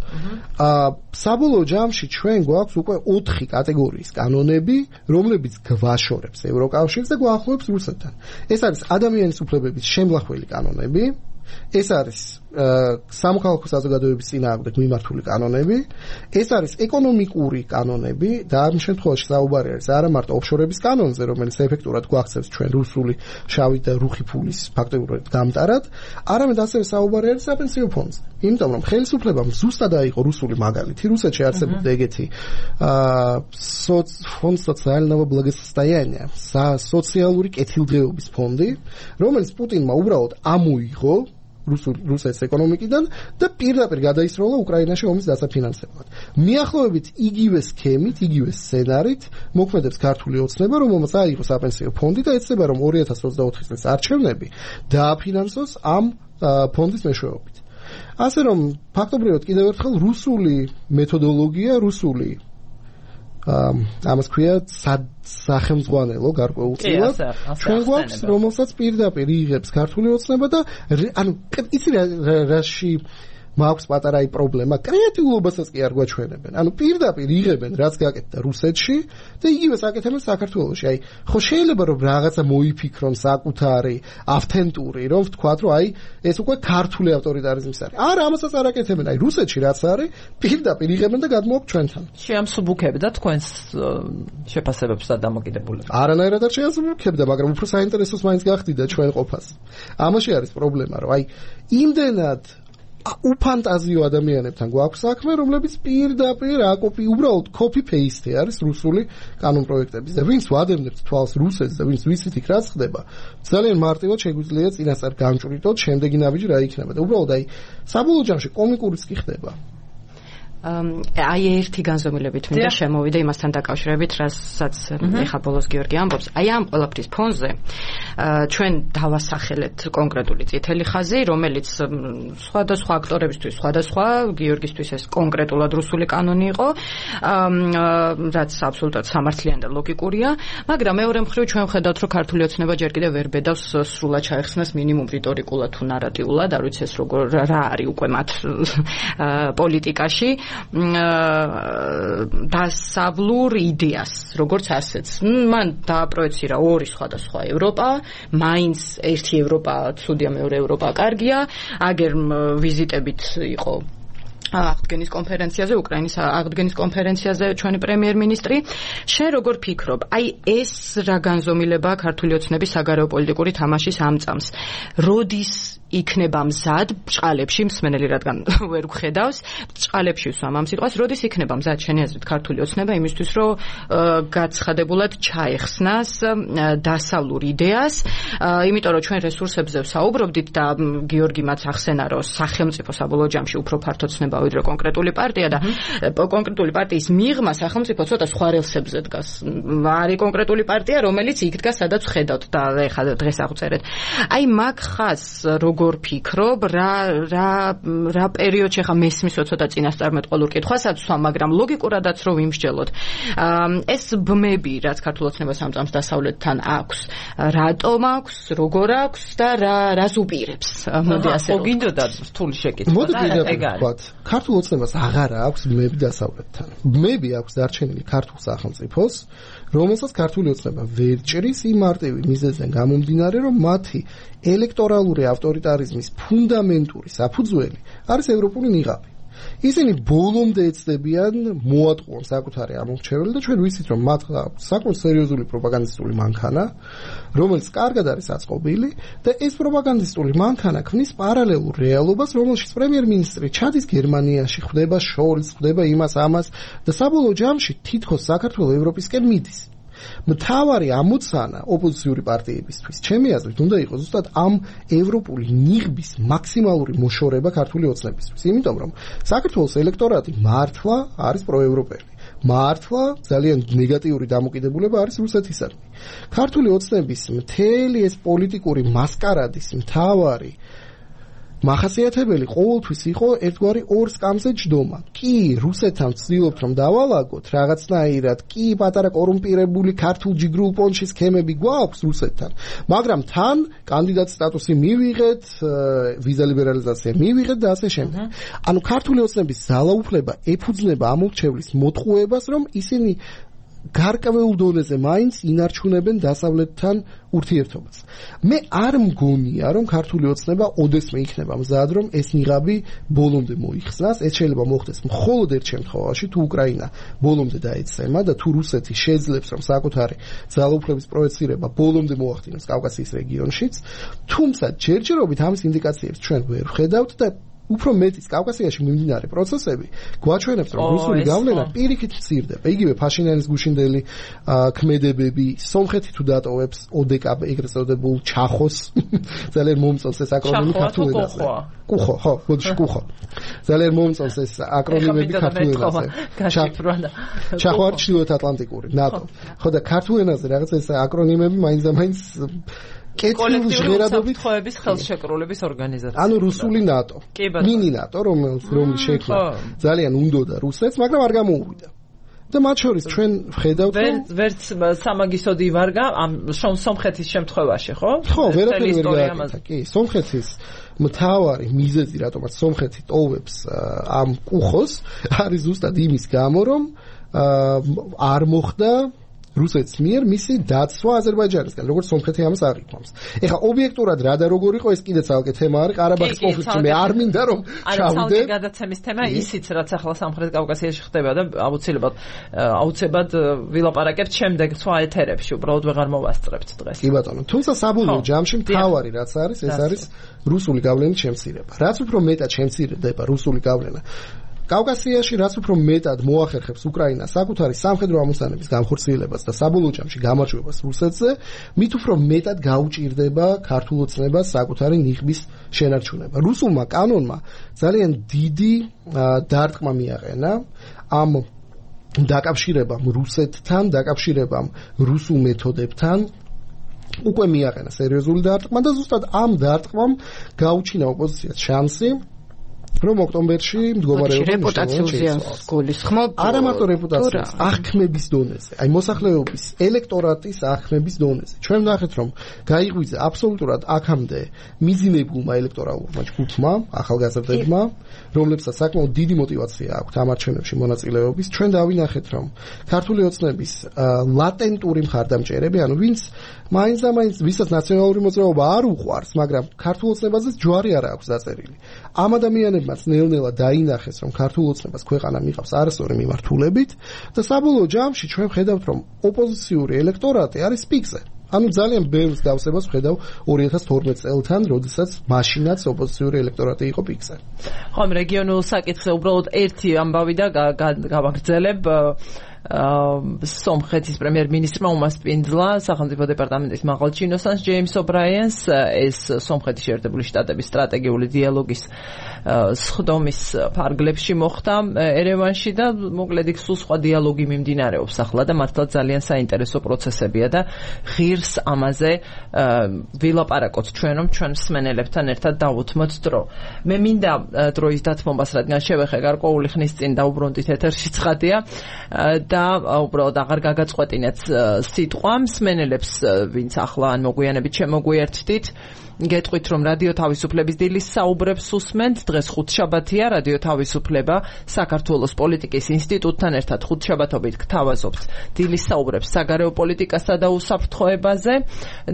S3: აა საბოლოო ჯამში ჩვენ გვაქვს უკვე ოთხი კატეგორიის კანონები, რომლებიც გვაშორებს ევროკავშირს და გვაახლოებს რუსეთთან. ეს არის ადამიანის უფლებების შემლახველი კანონები. ეს არის სამოქალაქო საზოგადოების წინააღმდეგ მიმართული კანონები, ეს არის ეკონომიკური კანონები და ამ შემთხვევაში საუბარი არის არა მარტო ოფშორების კანონზე, რომელიც ეფექტურად გვახცევს ჩვენ რუსული შავი და რუხი ფულის ფაქტობრივად გამტარად, არამედ ასევე საუბარი არის საპენსიო ფონდზე. იმიტომ რომ ხელისუფლებამ ზუსტად აიღო რუსული მაგალითი, რუსეთში არსებობდა ეგეთი ფონდ სოციალного благосостояния, სოციალური კეთილდღეობის ფონდი, რომელიც პუტინმა უბრალოდ ამოიღო რუსეთის ეკონომიკიდან და პირდაპირ გადაისროლა უკრაინაში ომის დასაფინანსებლად. მიახლოებით იგივე სქემით, იგივე სცენარით მოქმედებს ქართული ოცნება, რომელმაც აიღო საპენსიო ფონდი და ეცდება, რომ ორი ათას ოცდაოთხი წლის არჩევნები დააფინანსოს ამ ფონდის მეშვეობით. ასე რომ ფაქტობრივად კიდევ ერთხელ რუსული მეთოდოლოგია, რუსული ამას ქვია სახელმძღვანელო გარკვეულწილად ჩვენ გვაქვს, რომელსაც პირდაპირ იღებს ქართული ოცნება და ანუ იცი რაში მაქვს პატარა აი პრობლემა, კრეატიულობასაც კი არ გვაჩვენებენ. ანუ პირდაპირ იღებენ რაც გაკეთდა რუსეთში და იგივეს აკეთებენ საქართველოში. აი ხო შეიძლება რომ რაღაცა მოიფიქრონ საკუთარი, ავთენტური, რომ ვთქვათ, რომ აი ეს უკვე ქართული ავტორიტარიზმის არის. არა, ამასაც არ აკეთებენ. აი რუსეთში რაც არის, პირდაპირ იღებენ და გადმოაქვს ჩვენთან.
S1: შეამსუბუქებდა თქვენს შეფასებებს და დამოკიდებულებას.
S3: არანაირად არ შეამსუბუქებდა, მაგრამ უფრო საინტერესოს მაინც გახდიდა ჩვენ ყოფას. ამაში არის პრობლემა, რომ აი იმდენად უფანტაზიო ადამიანებთან გვაქვს საქმე, რომლებიც პირდაპირ აკოპი უბრალოდ copy paste არის რუსული კანონ პროექტების და ვინც ვადევნებთ თვალს რუსეთს და ვინც ვიცით იქ რაც ხდება, ძალიან მარტივად შეგვიძლია წინასწარ გამჭვრიტოთ, შემდეგი ნაბიჯი რა იქნება და უბრალოდ აი საბოლოო ჯამში კომიკურიც კი ხდება.
S2: აი ერთი განზომილებით მინდა შემოვიდა იმასთან დაკავშირებით, რასაც ეხა ბოლოს გიორგი ამბობს. აი ამ ყველაფრის ფონზე ჩვენ დავასახელეთ კონკრეტული წითელი ხაზი, რომელიც სხვადასხვა აქტორებისთვის, სხვადასხვა, გიორგისთვის ეს კონკრეტულად რუსული კანონი იყო, რაც აბსოლუტურად სამართლიანი და ლოგიკურია, მაგრამ მეორე მხრივ ჩვენ ვხედავთ, რომ ქართული ოცნება ჯერ კიდევ ვერ ბედავს სრულად ჩაეხსნას მინიმუმ რიტორიკულად თუ ნარატიულად, არ ვიცი ეს როგორ რა არის უკვე მათ პოლიტიკაში. დასავლურ იდეას, როგორც ასეც. მან დააპროექცირა ორი სხვადასხვა ევროპა, მაინც ერთი ევროპა ცუდია, მეორე ევროპა კარგია, აგერ ვიზიტებით იყო აღდგენის კონფერენციაზე, უკრაინის აღდგენის კონფერენციაზე ჩვენი პრემიერ-მინისტრი. შენ როგორ ფიქრობ, აი ეს რა განზომილებაა ქართული ოცნების საგარეო პოლიტიკური თამაშის ამწამს? როდის იქნება მზად ბჭყალებში, მსმენელი რადგან ვერ გვხედავს, ბჭყალებში ვსვამ ამ სიტყვას, როდის იქნება მზად შენი აზრით ქართული ოცნება იმისთვის, რომ გაცხადებულად ჩაეხსნას დასავლურ იდეას, იმიტომ რომ ჩვენ რესურსებზე ვსაუბრობდით და გიორგი მათ ახსენა, რომ სახელმწიფო საბოლოო ჯამში უფრო ფართო ცნება ეხება ვიდრე კონკრეტული პარტია და კონკრეტული პარტიის მიღმა სახელმწიფო ცოტა სხვა რელსებზე დგას. არის კონკრეტული პარტია, რომელიც იქ დგას, სადაც ხედავთ და ეხლა დღეს აღვწერეთ. აი მაგ ხას როგორ ფიქრობ, რა რა რა პერიოდში ხა მესმისო ცოტა წინასწარმეტყველურ კითხვასაც ვსვა, მაგრამ ლოგიკურადაც რო ვიმსჯელოთ. ეს ბმები, რაც ქართულ ოცნებას ამწამს დასავლეთთან აქვს, რატომ აქვს, როგორ აქვს და რა რას უპირებს? მოდი ასე
S1: რომ გინდოდა რთული შეკითხვა და ეგ არის.
S3: ქართულ ოცნებას აღარა აქვს ბმები დასავლეთთან. ბმები აქვს დარჩენილი ქართულ სახელმწიფოს, რომელსაც ქართული ოცნება ვერ ჭრის იმ მარტივი მიზეზიდან გამომდინარე, რომ მათი ელექტორალური ავტორიტარიზმის ფუნდამენტური საფუძველი არის ევროპული ნიღაბი. ისინი ბოლომდე ეცდებიან მოატყუონ საკუთარი ამორჩეველი და ჩვენ ვიცით, რომ მათ საკმაოდ სერიოზული პროპაგანდისტული მანქანა, რომელიც კარგად არის აწყობილი და ეს პროპაგანდისტული მანქანა ქმნის პარალელურ რეალობას, რომელშიც პრემიერ-მინისტრი ჩადის გერმანიაში, ხვდება შორს, ხვდება იმას ამას და საბოლოო ჯამში თითქოს საქართველოს ევროპისკენ მიდის. მთავარი ამოცანა ოპოზიციური პარტიებისთვის, ჩემი აზრით, უნდა იყოს ზუსტად ამ ევროპული ნიღბის მაქსიმალური მოშორება ქართული ოცნებისთვის. იმიტომ რომ საქართველოს ელექტორატი მართლა არის პროევროპელი. მართლა ძალიან ნეგატიური დამოკიდებულება არის რუსეთისადმი. ქართული ოცნების მთელი ეს პოლიტიკური მასკარადის მთავარი მახასიათებელი ყოველთვის იყო ერთგვარი ორ სკამზე ჯდომა. კი, რუსეთთან ვცდილობთ რომ დავალაგოთ რაღაცნაირად, კი, პატარა კორუმპირებული ქართულ ჯიგრულ პონჩი სქემები გვაქვს რუსეთთან, მაგრამ თან კანდიდატ სტატუსი მივიღეთ, ვიზა ლიბერალიზაცია მივიღეთ და ასე შემდეგ. ანუ ქართული ოცნების ძალაუფლება ეფუძნება ამორჩევლის მოტყუებას, რომ ისინი გარკვეულ დონეზე მაინც ინარჩუნებენ დასავლეთთან ურთიერთობას. მე არ მგონია, რომ ქართული ოცნება ოდესმე იქნება მზად, რომ ეს ნიღაბი ბოლომდე მოიხსნას. ეს შეიძლება მოხდეს მხოლოდ ერთ შემთხვევაში, თუ უკრაინა ბოლომდე დაეცემა და თუ რუსეთი შეძლებს, რომ საკუთარი ძალაუფლების პროექცირება ბოლომდე მოახდინოს კავკასიის რეგიონშიც, თუმცა ჯერჯერობით ამის ინდიკაციებს ჩვენ ვერ ვხედავთ და უფრო მეტიც კავკასიაში მიმდინარე პროცესები გვაჩვენებს, რომ რუსული გავლენა პირიქით მცირდება. იგივე ფაშინიანის გუშინდელი ქმედებები, სომხეთი თუ დატოვებს ოდეკაბ ეგრეთ წოდებულ ჩახოს, ძალიან მომწონს ეს აკრონიმი ქართულ ენაზე. კუხო, ხო, ბოდიში კუხო. ძალიან მომწონს ეს აკრონიმები ქართულ ენაზე. ჩახო არის ჩრდილოეთ ატლანტიკური, ნატო. ხო და ქართულ ენაზე რაღაც ეს აკრონიმები მაინც და მაინც კოლექტიური უსაფრთხოების ხელშეკრულების ორგანიზაცია. ანუ რუსული ნატო. მინი ნატო, რომელიც რომელიც შექმნა ძალიან უნდოდა რუსეთს, მაგრამ არ გამოუვიდა. და მათ შორის ჩვენ ვხედავთ,
S1: რომ ვერც სამაგისოდი ვარგა ამ სომხეთის შემთხვევაში, ხო?
S3: ხო, ვერაფერი ვერ გააკეთა. კი, სომხეთის მთავარი მიზეზი, რატომაც სომხეთი ტოვებს ამ კუხოს, არის ზუსტად იმის გამო, რომ არ მოხდა რუსეთის მიერ მისი დაცვა აზერბაიჯანისგან, როგორც სომხეთი ამას აღიქვამს. ეხლა ობიექტურად რა და როგორ იყო, ეს კიდე ცალკე თემა არის, ყარაბაღის კონფლიქტი მე არ მინდა რომ ჩავიდე.
S1: ანუ გადაცემის თემა ისიც, რაც ახლა სამხრეთ კავკასიაში ხდება და აუცილებლად აუცილებლად ვილაპარაკებთ შემდეგ სხვა ეთერებში, უბრალოდ ვეღარ მოვასწრებთ დღეს.
S3: კი ბატონო, თუმცა საბოლოო ჯამში მთავარი რაც არის, ეს არის რუსული გავლენის შემცირება. რაც უფრო მეტად შემცირდება რუსული გავლენა კავკასიაში, რაც უფრო მეტად მოახერხებს უკრაინას საკუთარი სამხედრო ამოცანების განხორციელებას და საბოლოო ჯამში გამარჯვებას რუსეთზე, მით უფრო მეტად გაუჭირდება ქართულ ოცნებას საკუთარი ნიღბის შენარჩუნება. რუსულმა კანონმა ძალიან დიდი დარტყმა მიაყენა ამ დაკავშირებამ რუსეთთან, დაკავშირებამ რუსულ მეთოდებთან. უკვე მიაყენა სერიოზული დარტყმა და ზუსტად ამ დარტყმამ გაუჩინა ოპოზიციას შანსი რომ ოქტომბერში მდგომარეობა
S2: რეპუტაციას გულისხმობ.
S3: არა მარტო რეპუტაციის, აღქმების დონეზე, აი მოსახლეობის ელექტორატის აღქმების დონეზე. ჩვენ ვნახეთ, რომ გაიღვიძა აბსოლუტურად აქამდე მიზინებულმა ელექტორალურმა ჯგუფმა, ახალგაზრდებმა, რომლებსაც საკმაოდ დიდი мотиваცია აქვთ ამ არჩევნებში მონაწილეობის. ჩვენ დავინახეთ, რომ ქართული ოცნების ლატენტური მხარდამჭერები, ანუ ვინც მაინც და მაინც ვისაც ნაციონალური მოძრაობა არ უყვარს, მაგრამ ქართულ ოცნებაზე ჯვარი არ აქვს დაწერილი. ამ ადამიანებმაც ნელ-ნელა დაინახეს, რომ ქართულ ოცნებას ქვეყანა მიყავს არასწორი მიმართულებით და საბოლოო ჯამში ჩვენ ვხედავთ, რომ ოპოზიციური ელექტორატი არის პიკზე. ანუ ძალიან ბევრ დავსებას ვხედავ ორი ათას თორმეტ წელთან, როდესაც მაშინაც ოპოზიციური ელექტორატი იყო პიკზე.
S1: ხო, ამ რეგიონულ საკითხზე უბრალოდ ერთი ამბავი და გავაგრძელებ. სომხეთის პრემიერ-მინისტრმა უმასპინძლა სახელმწიფო დეპარტამენტის მაღალ ჩინოსანს ჯეიმს ობრაიენს ეს სომხეთის შეერთებული შტატების სტრატეგიული დიალოგის სხდომის ფარგლებში მოხდა ერევანში და მოკლედ იქ სულ სხვა დიალოგი მიმდინარეობს ახლა და მართლაც ძალიან საინტერესო პროცესებია და ღირს ამაზე ვილაპარაკოთ ჩვენ რომ ჩვენ მსმენელებთან ერთად დავუთმოთ დრო. მე მინდა დროის დათმობას რადგან შევეხე გარკვეული ხნის წინ დაუბრუნდით ეთერში ცხადია და უბრალოდ აღარ გაგაწყვეტინეთ სიტყვა მსმენელებს ვინც ახლა ან მოგვიანებით შემოგვიერთდით გეტყვით რომ რადიო თავისუფლების დილის საუბრებს უსმენთ დღეს ხუთშაბათია რადიო თავისუფლება საქართველოს პოლიტიკის ინსტიტუტთან ერთად ხუთშაბათობით გთავაზობთ დილის საუბრებს საგარეო პოლიტიკასა და უსაფრთხოებაზე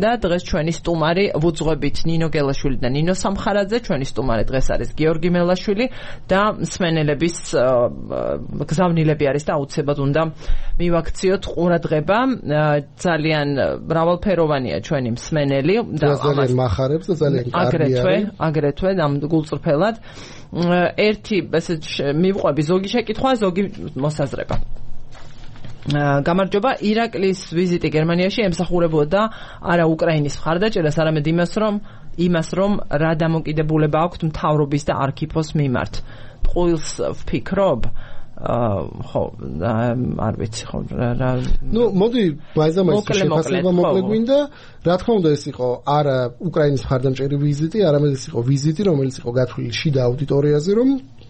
S1: და დღეს ჩვენი სტუმარი ვუძღვებით ნინო გელაშვილი და ნინო სამხარაძე ჩვენი სტუმარი დღეს არის გიორგი მელაშვილი და მსმენელების გზავნილები არის და აუცილებლად უნდა მივაქციოთ ყურადღება ძალიან მრავალფეროვანია ჩვენი მსმენელი
S3: და ამას
S1: აგრეთვე აგრეთვე ამ გულწრფელად ერთი ესე მივყვები ზოგი შეკითხვა ზოგი მოსაზრება გამარჯობა ირაკლის ვიზიტი გერმანიაში ემსახურებოდა არა უკრაინის მხარდაჭერას არამედ იმას რომ იმას რომ რა დამოკიდებულება აქვს მთავრობის და არქიფოს მიმართ ტყუილს ვფიქრობ ხო არ ვიცი ხო რა
S3: ნუ მოდი მაიზამაის შეფასება მოკლე გვინდა რა თქმა უნდა ეს იყო არა უკრაინის მხარდამჭერი ვიზიტი არამედ ეს იყო ვიზიტი რომელიც იყო გათვლილი შიდა აუდიტორიაზე რომ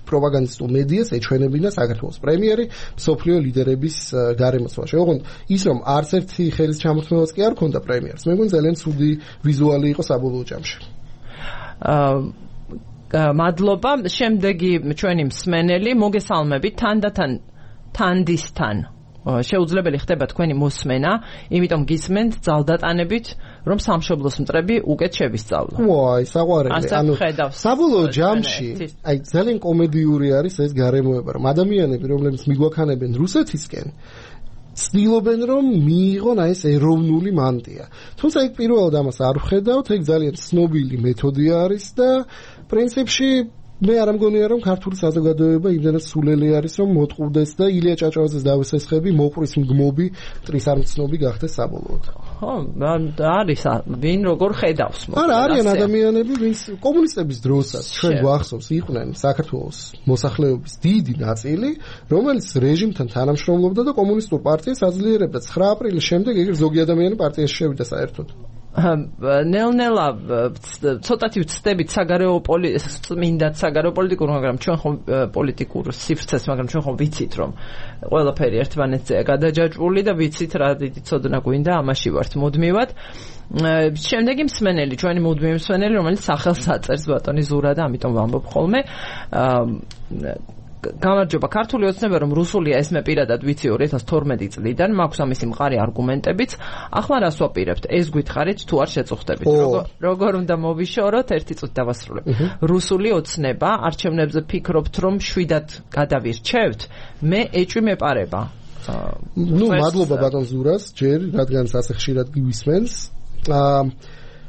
S3: პროპაგანდისტულ მედიას ეჩვენებინა საქართველოს პრემიერი მსოფლიო ლიდერების გარემოცვაში ოღონდ ის რომ არც ერთი ხელის ჩამოთმევაც კი არ ქონდა პრემიერს მე მგონი ძალიან ცუდი ვიზუალი იყო საბოლოო ჯამში მადლობა შემდეგი ჩვენი მსმენელი მოგესალმებით თანდათან თანდისთან შეუძლებელი ხდება თქვენი მოსმენა იმიტომ გისმენთ ძალდატანებით რომ სამშობლოს მტრები უკეთ შევისწავლო ვაი საყვარელი
S1: ანუ
S3: საბოლოო ჯამში აი ძალიან კომედიური არის ეს გარემოება რომ ადამიანები რომლებიც მიგვაქანებენ რუსეთისკენ ცდილობენ რომ მიიღონ აი ეს ეროვნული მანტია თუმცა იქ პირველად ამას არ ვხედავთ ეგ ძალიან ცნობილი მეთოდი არის და პრინციპში მე არ მგონია რომ ქართული საზოგადოება იმდენად სულელი არის რომ მოტყუდეს და ილია ჭაჭავაძეს დავესესხები მოყრის მგმობი მტრის არ მცნობი გახდეს საბოლოოდ
S1: ხო არის ვინ როგორ ხედავს
S3: არა არიან ადამიანები ვინც კომუნისტების დროსაც ჩვენ გვახსოვს იყვნენ საქართველოს მოსახლეობის დიდი ნაწილი რომელიც რეჟიმთან თანამშრომლობდა და კომუნისტურ პარტიას აძლიერებდა ცხრა აპრილის შემდეგ ეგ ზოგი ადამიანი პარტიაში შევიდა საერთოდ
S1: ნელ-ნელა ცოტათი ვწდებით საგარეო წმინდად საგარეო პოლიტიკურ მაგრამ ჩვენ ხომ პოლიტიკურ სივრცეს მაგრამ ჩვენ ხომ ვიცით რომ ყველაფერი ერთმანეთზეა გადაჯაჭვული და ვიცით რა დიდი ცოდნა გვინდა ამაში ვართ მუდმივად შემდეგი მსმენელი ჩვენი მუდმივი მსმენელი რომელიც სახელს აწერს ბატონი ზურა და ამიტომ ვამბობ ხოლმე გამარჯობა ქართული ოცნება რომ რუსულია ეს მე პირადად ვიცი ორი ათას თორმეტი წლიდან მაქვს ამისი მყარი არგუმენტებიც ახლა რას ვაპირებთ ეს გითხარით თუ არ შეწუხდებით როგორ უნდა მოვიშოროთ ერთი წუთი დავასრულებ რუსული ოცნება არჩევნებზე ფიქრობთ რომ შვიდად გადავირჩევთ მე ეჭვი მეპარება
S3: ნუ მადლობა ბატონ ზურას ჯერ რადგან ასე ხშირად გივისმენს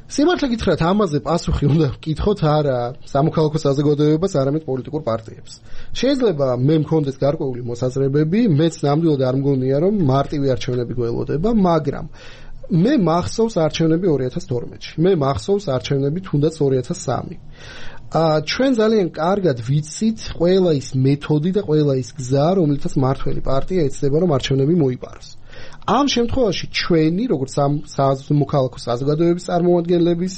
S3: სიმართლე გითხრათ ამაზე პასუხი უნდა ვკითხოთ არა სამოქალაქო საზოგადოებას არამედ პოლიტიკურ პარტიებს შეიძლება მე მქონდეს გარკვეული მოსაზრებები მეც ნამდვილად არ მგონია რომ მარტივი არჩევნები გველოდება მაგრამ მე მახსოვს არჩევნები ორი ათას თორმეტში მე მახსოვს არჩევნები თუნდაც ორი ათას სამი აა ჩვენ ძალიან კარგად ვიცით ყველა ის მეთოდი და ყველა ის გზა რომელთაც მართველი პარტია ეცდება რომ არჩევნები მოიპაროს ამ შემთხვევაში ჩვენი როგორც სამოქალაქო საზოგადოების წარმომადგენლების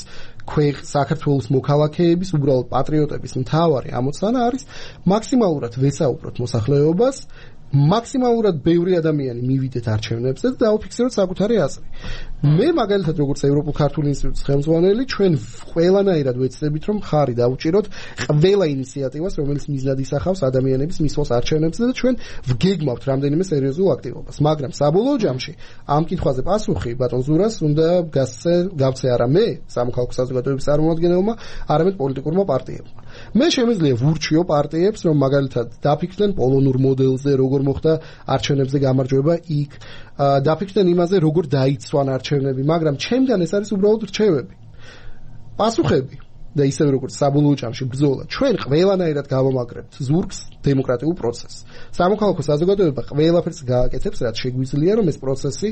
S3: ქვეყ საქართველოს მოქალაქეების უბრალოდ პატრიოტების მთავარი ამოცანა არის მაქსიმალურად ვესაუბროთ მოსახლეობას მაქსიმალურად ბევრი ადამიანი მივიდეთ არჩევნებზე და დაუფიქსიროთ საკუთარი აზრი. მე მაგალითად როგორც ევროპულ ქართული ინსტიტუტის ხელმძღვანელი ჩვენ ყველანაირად ვეცდებით რომ ხარი დაუჭიროთ ყველა ინიციატივას რომელიც მიზნად ისახავს ადამიანების მისვლას არჩევნებზე და ჩვენ ვგეგმავთ რამდენიმე სერიოზულ აქტივობას. მაგრამ საბოლოო ჯამში ამ კითხვაზე პასუხი ბატონ ზურას უნდა გასცე გავცე არა მე სამოქალაქო საზოგადოების წარმომადგენელმა არამედ პოლიტიკურმა პარტიებმა. მე შემიძლია ვურჩიო პარტიებს რომ მაგალითად დაფიქრდნენ პოლონურ მოდელზე როგორ მოხდა არჩევნებზე გამარჯვება იქ დაფიქრდნენ იმაზე როგორ დაიცვან არჩევნები მაგრამ ჩემგან ეს არის უბრალოდ რჩევები პასუხები და ისევე როგორც საბოლოო ჯამში ბრძოლა ჩვენ ყველანაირად გავამაგრებთ ზურგს დემოკრატიულ პროცესს. სამოქალაქო საზოგადოება ყველაფერს გააკეთებს, რაც შეგვიძლია, რომ ეს პროცესი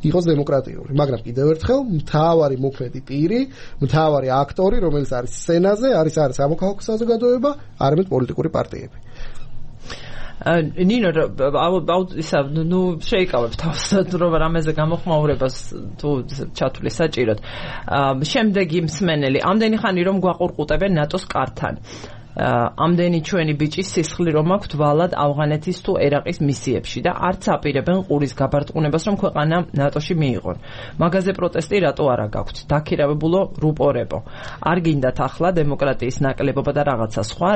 S3: იყოს დემოკრატიული. მაგრამ კიდევ ერთხელ მთავარი მოქმედი პირი, მთავარი აქტორი, რომელიც არის სცენაზე, არის არის სამოქალაქო საზოგადოება, არამედ პოლიტიკური პარტიები.
S1: ნინო, ისა, ნუ შეიკავებ თავს, რომ რამეზე გამოხმაურებას თუ ჩათვლი საჭიროდ. შემდეგი მსმენელი, ამდენი ხანი რომ გვაყურყუტებენ ნატოს კართან. ამდენი ჩვენი ბიჭი სისხლი რომ აქვთ ვალად ავღანეთის თუ ერაყის მისიებში და არც აპირებენ ყურის გაბარტყუნებას, რომ ქვეყანა ნატოში მიიღონ. მაგაზე პროტესტი რატო არა გაქვთ? დაქირავებულო რუპორებო. არ გინდათ ახლა დემოკრატიის ნაკლებობა და რაღაცა სხვა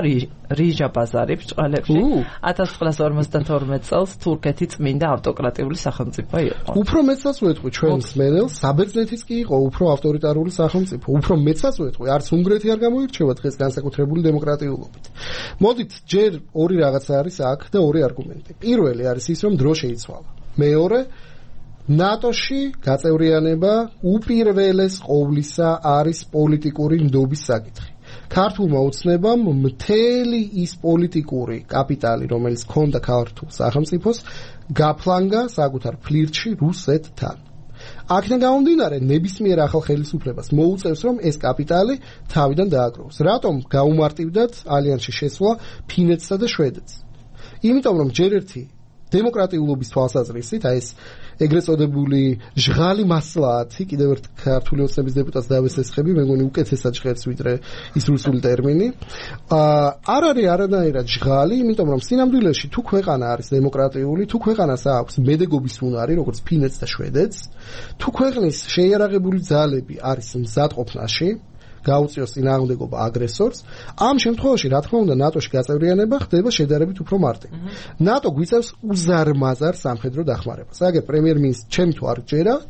S1: რიჟა ბაზარი ბრჭყალებში. ათას ცხრაასა ორმოცდათორმეტ წელს თურქეთი წმინდა ავტოკრატიული სახელმწიფო იყო.
S3: უფრო მეცაც ვეთყვი ჩვენ მსმენელს, საბერძნეთიც კი იყო უფრო ავტორიტარული სახელმწიფო. უფრო მეცაც ვეთყვი, არც უნგრეთი არ გამოირჩევა დღეს განსაკუთრებული დემოკრატიულობით. მოდით, ჯერ ორი რაღაცა არის აქ და ორი არგუმენტი. პირველი არის ის, რომ დრო შეიცვალა. მეორე, ნატოში გაწევრიანება უპირველეს ყოვლისა არის პოლიტიკური ნდობის საკითხი. ქართულმა ოცნებამ მთელი ის პოლიტიკური კაპიტალი, რომელიც ჰქონდა ქართულ სახელმწიფოს, გაფლანგა საკუთარ ფლირტში რუსეთთან. აქედან გამომდინარე, ნებისმიერ ახალ ხელისუფლებას მოუწევს, რომ ეს კაპიტალი თავიდან დააგროვოს. რატომ გაუმარტივდათ ალიანსში შესვლა ფინეთსა და შვედეთს? იმიტომ, რომ ჯერ ერთი დემოკრატიულობის თვალსაზრისით, აი ეს ეგრეთ წოდებული ჟღალი მასლაათი, კიდევ ერთ ქართული ოცნების დეპუტატს დავესესხები, მე მგონი უკეთესად ჟღერს ვიდრე ის რუსული ტერმინი. არ არის არანაირად ჟღალი, იმიტომ რომ სინამდვილეში თუ ქვეყანა არის დემოკრატიული, თუ ქვეყანას აქვს მედეგობის უნარი, როგორც ფინეთს და შვედეთს, თუ ქვეყნის შეიარაღებული ძალები არის მზადყოფნაში, გაუწიოს წინააღმდეგობა აგრესორს, ამ შემთხვევაში, რა თქმა უნდა, ნატოში გაწევრიანება ხდება შედარებით უფრო მარტივი. ნატო გვიწევს უზარმაზარ სამხედრო დახმარებას. აგერ პრემიერ-მინისტრს ჩემი თუ არ გჯერათ,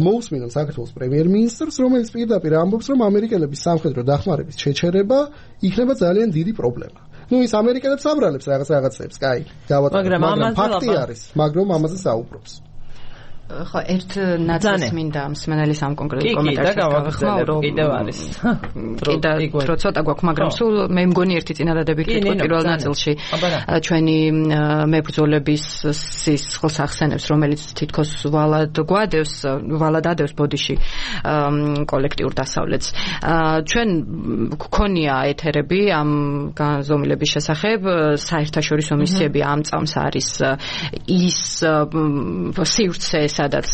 S3: მოусმინოთ საქართველოს პრემიერ-მინისტრს, რომელიც პირდაპირ ამბობს, რომ ამერიკელების სამხედრო დახმარების შეჩერება იქნება ძალიან დიდი პრობლემა. ნუ ის ამერიკელებს აბრალებს რაღაც რაღაცებს, კაი, გავატარებთ, მაგრამ ფაქტი არის, მაგრამ ამაზე საუბრობს.
S2: ხო, ერთ ნაწილს მინდა მსმენელის ამ კონკრეტულ კომენტარში გავახსნა, რომ
S1: კიდევ არის.
S2: კიდე დრო ცოტა გვაქვს, მაგრამ სულ მე მგონი ერთი წინადადებით ვიტყვი პირველ ნაწილში ჩვენი მებრძოლების სისხლს ახსენებს, რომელიც თითქოს ვალად გვადევს, ვალად ადევს ბოდიში კოლექტიურ დასავლეთს. ჩვენ გქონია ეთერები ამ განზომილების შესახებ, საერთაშორისო მისიები ამ წამს არის ის სივრცე, სადაც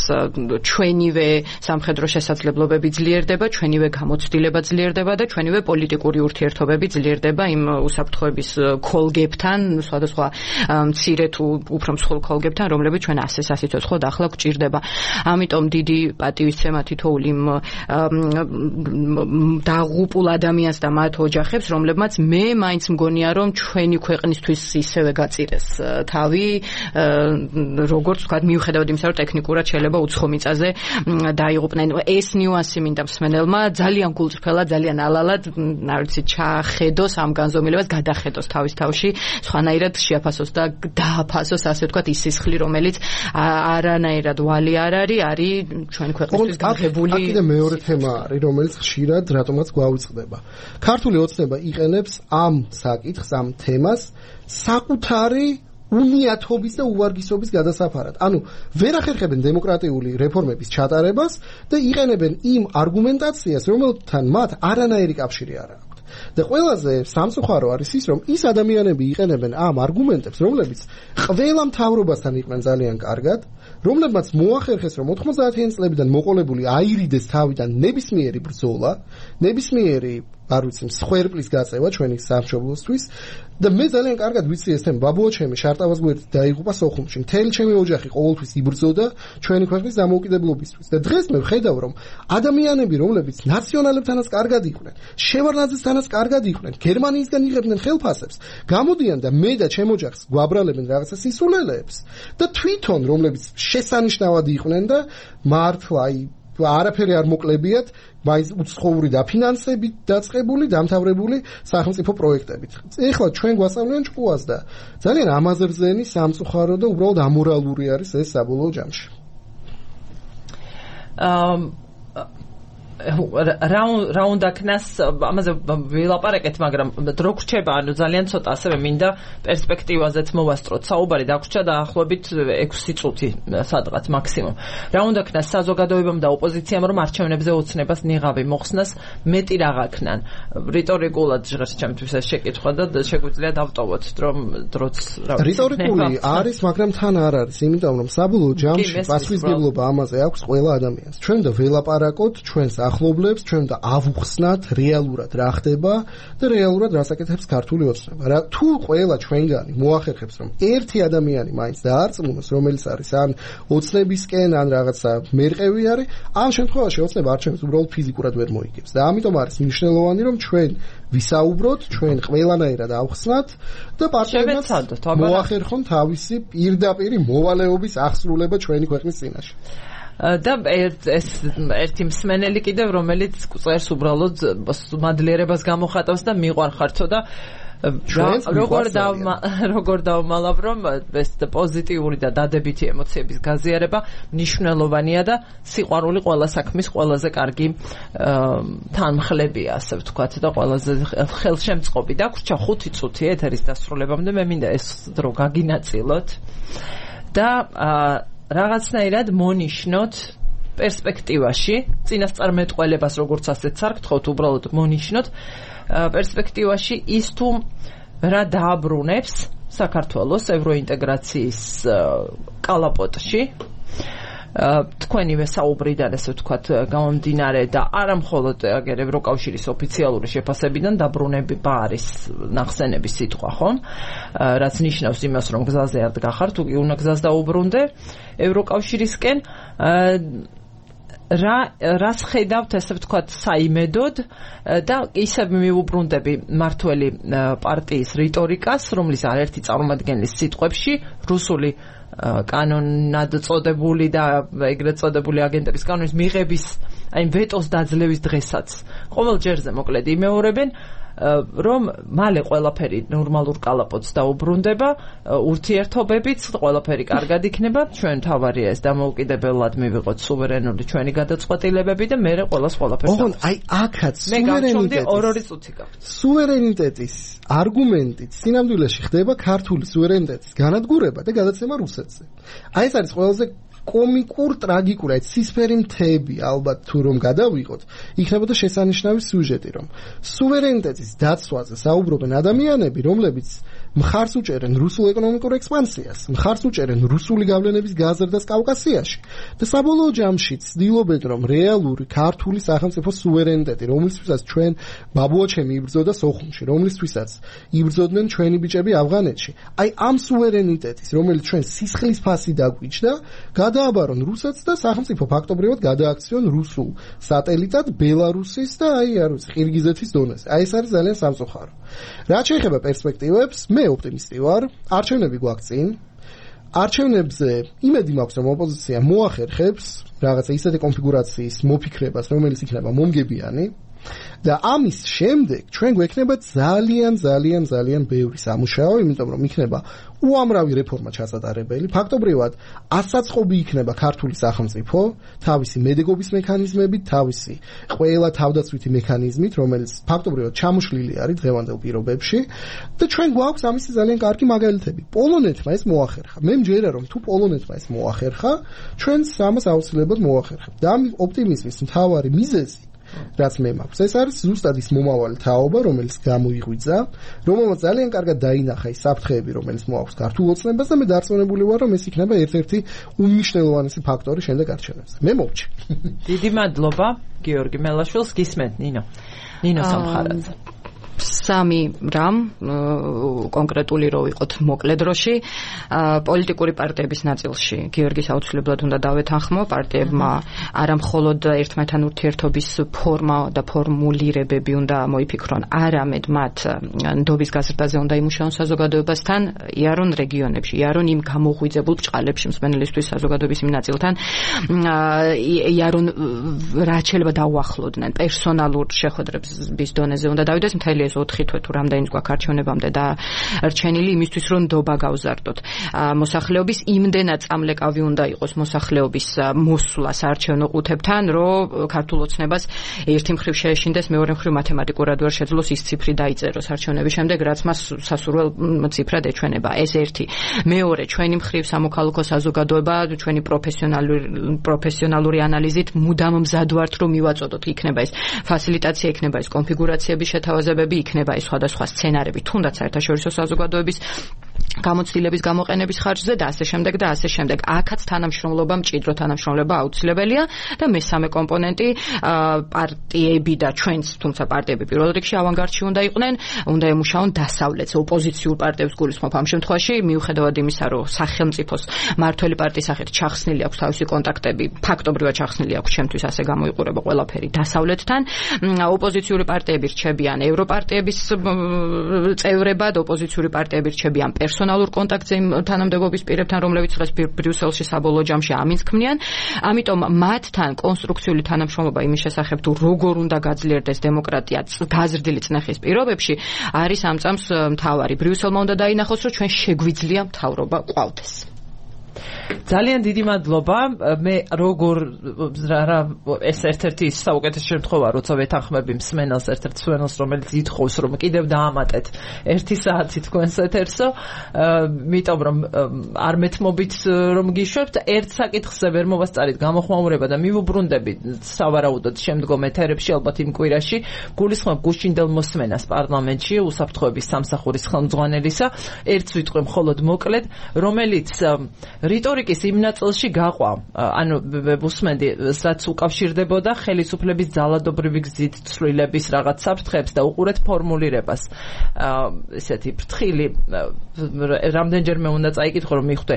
S2: ჩვენივე სამხედრო შესაძლებლობები ძლიერდება, ჩვენივე გამოცდილება ძლიერდება და ჩვენივე პოლიტიკური ურთიერთობები ძლიერდება იმ უსაფრთხოების ქოლგებთან, სხვადასხვა მცირე თუ უფრო მსხვილ ქოლგებთან, რომლებიც ჩვენ ასეს ასიცოცხლოდ ახლა გვჭირდება. ამიტომ დიდი პატივისცემა თითოეულ იმ დაღუპულ ადამიანს და მათ ოჯახებს, რომლებმაც მე მაინც მგონია, რომ ჩვენი ქვეყნისთვის ისევე გაწირეს თავი, როგორც ვთქვათ, მიუხედავად იმისა, რომ ტექნიკურად შეიძლება უცხო მიწაზე დაიღუპნენ. ეს ნიუანსი მინდა მსმენელმა ძალიან გულწრფელად, ძალიან ალალად, არ ვიცი, ჩახედოს ამ განზომილებას, გადახედოს თავის თავში, სხვანაირად შეაფასოს და დააფასოს, ასე ვთქვათ, ის სისხლი, რომელიც არანაირად ვალი არ არის, არის ჩვენ ქვეყნისთვის გაღებული.
S3: აქ კიდე მეორე თემა არის, რომელიც ხშირად რატომაც გვავიწყდება. ქართული ოცნება იყენებს ამ საკითხს, ამ თემას საკუთარი უნიათობის და უვარგისობის გადასაფარად. ანუ ვერ ახერხებენ დემოკრატიული რეფორმების ჩატარებას და იყენებენ იმ არგუმენტაციას, რომელთან მათ არანაირი კავშირი არ აქვს. და ყველაზე სამწუხარო არის ის, რომ ის ადამიანები იყენებენ ამ არგუმენტებს, რომლებიც ყველა მთავრობასთან იყვნენ ძალიან კარგად, რომლებმაც მოახერხეს, რომ ოთხმოცდაათიანი წლებიდან მოყოლებული აირიდეს თავიდან ნებისმიერი ბრძოლა, ნებისმიერი არ ვიცი, მსხვერპლის გაწევა ჩვენი სამშობლოსთვის და მე ძალიან კარგად ვიცი ეს თემა. ბაბუა ჩემი შარტავას გვერდით დაიღუპა სოხუმში. მთელი ჩემი ოჯახი ყოველთვის იბრძოდა ჩვენი ქვეყნის დამოუკიდებლობისთვის. და დღეს მე ვხედავ, რომ ადამიანები, რომლებიც ნაციონალებთანაც კარგად იყვნენ, შევარდნაძესთანაც კარგად იყვნენ, გერმანიისგან იღებდნენ ხელფასებს, გამოდიან და მე და ჩემ ოჯახს გვაბრალებენ რაღაცა სისულელეებს და თვითონ რომლებიც შესანიშნავად იყვნენ და მართლა აი არაფერი არ მოკლებიათ, მაინც უცხოური დაფინანსებით დაწყებული, დამთავრებული სახელმწიფო პროექტებით. ეხლა ჩვენ გვასწავლიან ჭკუას და ძალიან ამაზრზენი, სამწუხარო და უბრალოდ ამორალური არის ეს საბოლოო ჯამში.
S1: რა რა უნდა ქნას ამაზე ვილაპარაკეთ, მაგრამ დრო გრჩება, ანუ ძალიან ცოტა ასევე მინდა პერსპექტივაზეც მოვასწროთ საუბარი, დაგვრჩა დაახლოებით ექვსი წუთი სადღაც მაქსიმუმ. რა უნდა ქნას საზოგადოებამ და ოპოზიციამ, რომ არჩევნებზე ოცნებას ნიღავი მოხსნას, მეტი რა გაქნან. რიტორიკულად ჟღერს ჩემთვის ეს შეკითხვა და შეგვიძლია დავტოვოთ, რომ დროც რა ვიცი.
S3: რიტორიკული არის, მაგრამ თან არ არის, იმიტომ რომ საბოლოო ჯამში პასუხისმგებლობა ამაზე აქვს ყველა ადამიანს. ჩვენ და ველაპარაკოთ ჩვენს ახლობლებს, ჩვენ და ავუხსნათ რეალურად რა ხდება და რეალურად რასაკეთებს ქართული ოცნება. რა თუ ყველა ჩვენგანი მოახერხებს, რომ ერთი ადამიანი მაინც დაარწმუნოს, რომელიც არის ან ოცნებისკენ, ან რაღაცა მერყევი არის, ამ შემთხვევაში ოცნება არჩევნებს უბრალოდ ფიზიკურად ვერ მოიგებს. და ამიტომ არის მნიშვნელოვანი, რომ ჩვენ ვისაუბროთ, ჩვენ ყველანაირად ავხსნათ და პარტიებმაც მოახერხონ თავისი პირდაპირი მოვალეობის აღსრულება ჩვენი ქვეყნის წინაშე.
S1: და ეს ერთი მსმენელი კიდევ, რომელიც წერს უბრალოდ მადლიერებას გამოხატავს და მიყვარხართო და როგორ დავმა როგორ დავმალავ, რომ ეს პოზიტიური და დადებითი ემოციების გაზიარება მნიშვნელოვანია და სიყვარული ყველა საქმის ყველაზე კარგი თანმხლებია, ასე ვთქვათ, და ყველაზე ხელშემწყობი. დაგვრჩა ხუთი წუთი ეთერის დასრულებამდე, მე მინდა ეს დრო გაგინაწილოთ და რაღაცნაირად მონიშნოთ პერსპექტივაში, წინასწარმეტყველებას როგორც ასეთ სარკთხოთ, უბრალოდ მონიშნოთ პერსპექტივაში ის თუ რა დააბრუნებს საქართველოს ევროინტეგრაციის კალაპოტში, თქვენივე საუბრიდან, ესე ვთქვათ, გამომდინარე და არა მხოლოდ აგერ ევროკავშირის ოფიციალური შეფასებიდან დაბრუნება არის ნახსენების სიტყვა, ხო? რაც ნიშნავს იმას, რომ გზაზე არ დგახარ, თუ კი უნდა გზას დაუბრუნდე ევროკავშირისკენ. რა რას ხედავთ, ესე ვთქვათ, საიმედოდ და ისევ მიუბრუნდები მართველი პარტიის რიტორიკას, რომლის არაერთი წარმომადგენლის სიტყვებში რუსული კანონად წოდებული და ეგრეთ წოდებული აგენტების კანონის მიღების, აი ვეტოს დაძლევის დღესაც ყოველ ჯერზე მოკლედ იმეორებენ, რომ მალე ყველაფერი ნორმალურ კალაპოტს დაუბრუნდება, ურთიერთობებიც ყველაფერი კარგად იქნება, ჩვენ თავარია ეს დამოუკიდებლად მივიღოთ სუვერენული ჩვენი გადაწყვეტილებები და მე ყველას ყველაფერს.
S3: ოღონდ აი აქაც სუვერენიტეტის
S1: ორ-ორი წუთი გაქვთ.
S3: სუვერენიტეტის არგუმენტით სინამდვილეში ხდება ქართული სუვერენიტეტის განადგურება და გადაცემა რუსეთზე. აი ეს არის ყველაზე კომიკურ, ტრაგიკურ, აი ცისფერი მთები ალბათ თუ რომ გადავიყოთ, იქნებოდა შესანიშნავი სიუჟეტი, რომ სუვერენიტეტის დაცვაზე საუბრობენ ადამიანები, რომლებიც მხარს უჭერენ რუსულ ეკონომიკურ ექსპანსიას, მხარს უჭერენ რუსული გავლენების გაზრდას კავკასიაში და საბოლოო ჯამში ცდილობენ, რომ რეალური ქართული სახელმწიფო სუვერენიტეტი, რომლისთვისაც ჩვენ ბაბუაჩემი იბრძოდა სოხუმში, რომლისთვისაც იბრძოდნენ ჩვენი ბიჭები ავღანეთში, აი ამ სუვერენიტეტის, რომელიც ჩვენ სისხლის ფასი დაგვიჭდა, გადააბარონ რუსეთს და სახელმწიფო ფაქტობრივად გადააქციონ რუსულ სატელიტად ბელარუსის და აი არ ვიცი ყირგიზეთის დონეზე. აი ეს არის ძალიან სამწუხარო. რაც შეეხება პერსპექტივებს, მე ოპტიმისტი ვარ, არჩევნები გვაქვს წინ. არჩევნებზე იმედი მაქვს, რომ ოპოზიცია მოახერხებს რაღაცა ისეთი კონფიგურაციის მოფიქრებას, რომელიც იქნება მომგებიანი. და ამის შემდეგ ჩვენ გვექნება ძალიან ძალიან ძალიან ბევრი სამუშაო, იმიტომ რომ იქნება უამრავი რეფორმა ჩასატარებელი. ფაქტობრივად ასაწყობი იქნება ქართული სახელმწიფო თავისი მედეგობის მექანიზმებით, თავისი ყველა თავდაცვითი მექანიზმით, რომელიც ფაქტობრივად ჩამოშლილი არის დღევანდელ პირობებში და ჩვენ გვაქვს ამისი ძალიან კარგი მაგალითები. პოლონეთმა ეს მოახერხა. მე მჯერა რომ თუ პოლონეთმა ეს მოახერხა, ჩვენც ამას აუცილებლად მოახერხებთ. და ამ ოპტიმიზმის მთავარი მიზეზი რაც მე მაქვს, ეს არის ზუსტად ის მომავალი თაობა, რომელიც გამოიღვიძა, რომელმაც ძალიან კარგად დაინახა ის საფრთხეები, რომელიც მოაქვს ქართულ ოცნებას და მე დარწმუნებული ვარ, რომ ეს იქნება ერთ-ერთი უმნიშვნელოვანესი ფაქტორი შემდეგ არჩევნებზე. მე მოვჭი.
S1: დიდი მადლობა გიორგი მელაშვილს, გისმენთ ნინო. ნინო სამხარაძე.
S2: სამი რამ კონკრეტული რო ვიყოთ მოკლე დროში, პოლიტიკური პარტიების ნაწილში გიორგის აუცილებლად უნდა დავეთანხმო, პარტიებმა არა მხოლოდ ერთმანეთთან ურთიერთობის ფორმა და ფორმულირებები უნდა მოიფიქრონ, არამედ მათ ნდობის გაზრდაზე უნდა იმუშაონ საზოგადოებასთან, იარონ რეგიონებში, იარონ იმ გამოღვიძებულ ბრჭყალებში მსმენელისთვის საზოგადოების იმ ნაწილთან, იარონ რაც შეიძლება დაუახლოვდნენ პერსონალურ შეხვედრების დონეზე უნდა დავიდეს მთელი ეს ოთხი თვე თუ რამდენიც გვაქვს არჩევნებამდე და რჩენილი იმისთვის რომ ნდობა გავზარდოთ. მოსახლეობის იმდენად წამლეკავი უნდა იყოს მოსახლეობის მოსვლა საარჩევნო ყუთებთან, რომ ქართულ ოცნებას ერთი მხრივ შეეშინდეს, მეორე მხრივ მათემატიკურად ვერ შეძლოს ის ციფრი დაიწეროს არჩევნების შემდეგ, რაც მას სასურველ ციფრად ეჩვენება. ეს ერთი. მეორე, ჩვენი მხრივ სამოქალაქო საზოგადოება, ჩვენი პროფესიონალური პროფესიონალური ანალიზით მუდამ მზად ვართ რომ მივაწოდოთ, იქნება ეს ფასილიტაცია, იქნება ეს კონფიგურაციების შეთავაზებები, იქნება ეს სხვადასხვა სცენარები, თუნდაც საერთაშორისო საზოგადოების გამოცდილების გამოყენების ხარჯზე და ასე შემდეგ და ასე შემდეგ. აქაც თანამშრომლობა, მჭიდრო თანამშრომლობა აუცილებელია და მესამე კომპონენტი პარტიები და ჩვენც, თუმცა პარტიები პირველ რიგში ავანგარდში უნდა იყვნენ, უნდა ემუშაონ დასავლეთს, ოპოზიციურ პარტიებს გულისხმობ ამ შემთხვევაში, მიუხედავად იმისა, რომ სახელმწიფოს მართველი პარტიის სახით ჩახსნილი აქვს თავისი კონტაქტები, ფაქტობრივად ჩახსნილი აქვს, ჩემთვის ასე გამოიყურება ყველაფერი დასავლეთთან. ოპოზიციური პარტიები რჩებიან ევროპარტიების წევრებად, ოპოზიციური პარტიები რჩებიან პერსონალურ კონტაქტზე იმ თანამდებობის პირებთან, რომლებიც დღეს ბრიუსელში საბოლოო ჯამში ამინს ქმნიან. ამიტომ მათთან კონსტრუქციული თანამშრომლობა იმის შესახებ თუ როგორ უნდა გაძლიერდეს დემოკრატია გაზრდილი წნეხის პირობებში არის ამ წამს მთავარი. ბრიუსელმა უნდა დაინახოს, რომ ჩვენ შეგვიძლია მთავრობა ყავდეს.
S1: ძალიან დიდი მადლობა. მე როგორ რა ეს ერთ-ერთი საუკეთესო შემთხვევა, როცა ვეთანხმები მსმენელს, ერთ-ერთ მსმენელს, რომელიც ითხოვს, რომ კიდევ დაამატეთ ერთი საათი თქვენს ეთერსო, იმიტომ რომ არ მეთმობით რომ გიშვებთ, ერთ საკითხზე ვერ მოვასწარით გამოხმაურება და მივუბრუნდები სავარაუდოდ შემდგომ ეთერებში, ალბათ იმ კვირაში, გულისხმობ გუშინდელ მოსმენას პარლამენტში უსაფრთხოების სამსახურის ხელმძღვანელისა, ერთს ვიტყვი მხოლოდ მოკლედ, რომელიც რიტორიკის იმ ნაწილში გაყვა, ანუ უსმენდი, რაც უკავშირდებოდა ხელისუფლების ძალადობრივი გზით ცვლილების რაღაც საფრთხეებს და უყურეთ ფორმულირებას. ესეთი ფრთხილი რამდენჯერმე უნდა წაიკითხო, რომ მიხვდე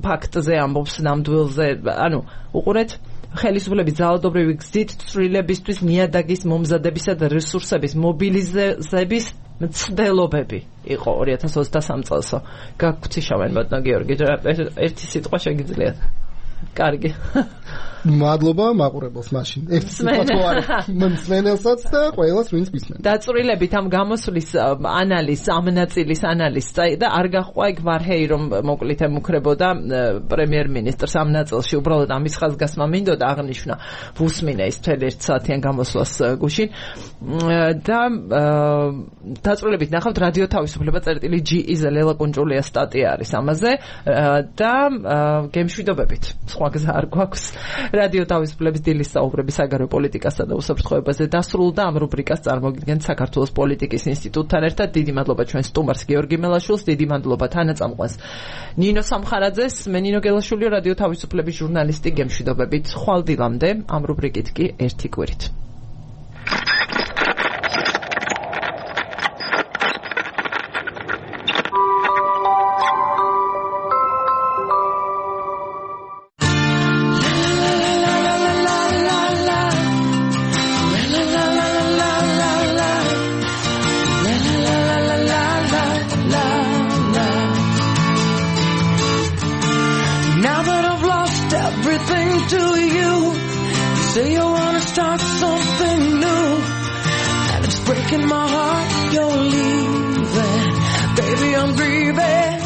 S1: ფაქტზე ამბობს ნამდვილზე, ანუ უყურეთ ხელისუფლების ძალადობრივი გზით ცვლილებისთვის ნიადაგის მომზადებისა და რესურსების მობილიზების მცდელობები იყო ორი ათას ოცდასამ წელსო. გაგგვციშავენ ბატონო გიორგი, ერთი სიტყვა შეგიძლიათ. კარგი.
S3: მადლობა მაყურებელს მაშინ. ერთ სიტყვა თუ არა მსმენელსაც და ყველას ვინც მისმენს.
S1: დაწვრილებით ამ გამოსვლის ანალიზ, ამ ნაწილის ანალიზ და არ გაყვა იქ ვარჰეი რომ მოკლით ემუქრებოდა პრემიერ-მინისტრს ამ ნაწილში, უბრალოდ ამის ხაზგასმა მინდოდა აღნიშნა ვუსმინე ის მთელი ერთ საათიან გამოსვლას გუშინ და დაწვრილებით ნახავთ რადიო თავისუფლება წერტილი ჯი იზ ლელა კუნჭულია სტატია არის ამაზე და გემშვიდობებით. სხვა გზა არ გვაქვს. რადიო თავისუფლების დილის საუბრები საგარეო პოლიტიკასა და უსაფრთხოებაზე დასრულდა. ამ რუბრიკას წარმოგიდგენთ საქართველოს პოლიტიკის ინსტიტუტთან ერთად. დიდი მადლობა ჩვენ სტუმარს გიორგი მელაშვილს, დიდი მადლობა თანაწამყვანს ნინო სამხარაძეს. მე ნინო გელაშვილი, რადიო თავისუფლების ჟურნალისტი, გემშვიდობებით. ხვალ დილამდე ამ რუბრიკით კი ერთი კვირით.
S4: Say you wanna start something new, and it's breaking my heart you're leaving. Baby, I'm grieving,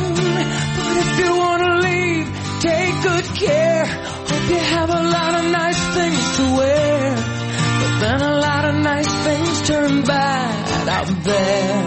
S4: but if you wanna leave, take good care. Hope you have a lot of nice things to wear, but then a lot of nice things turn bad out there.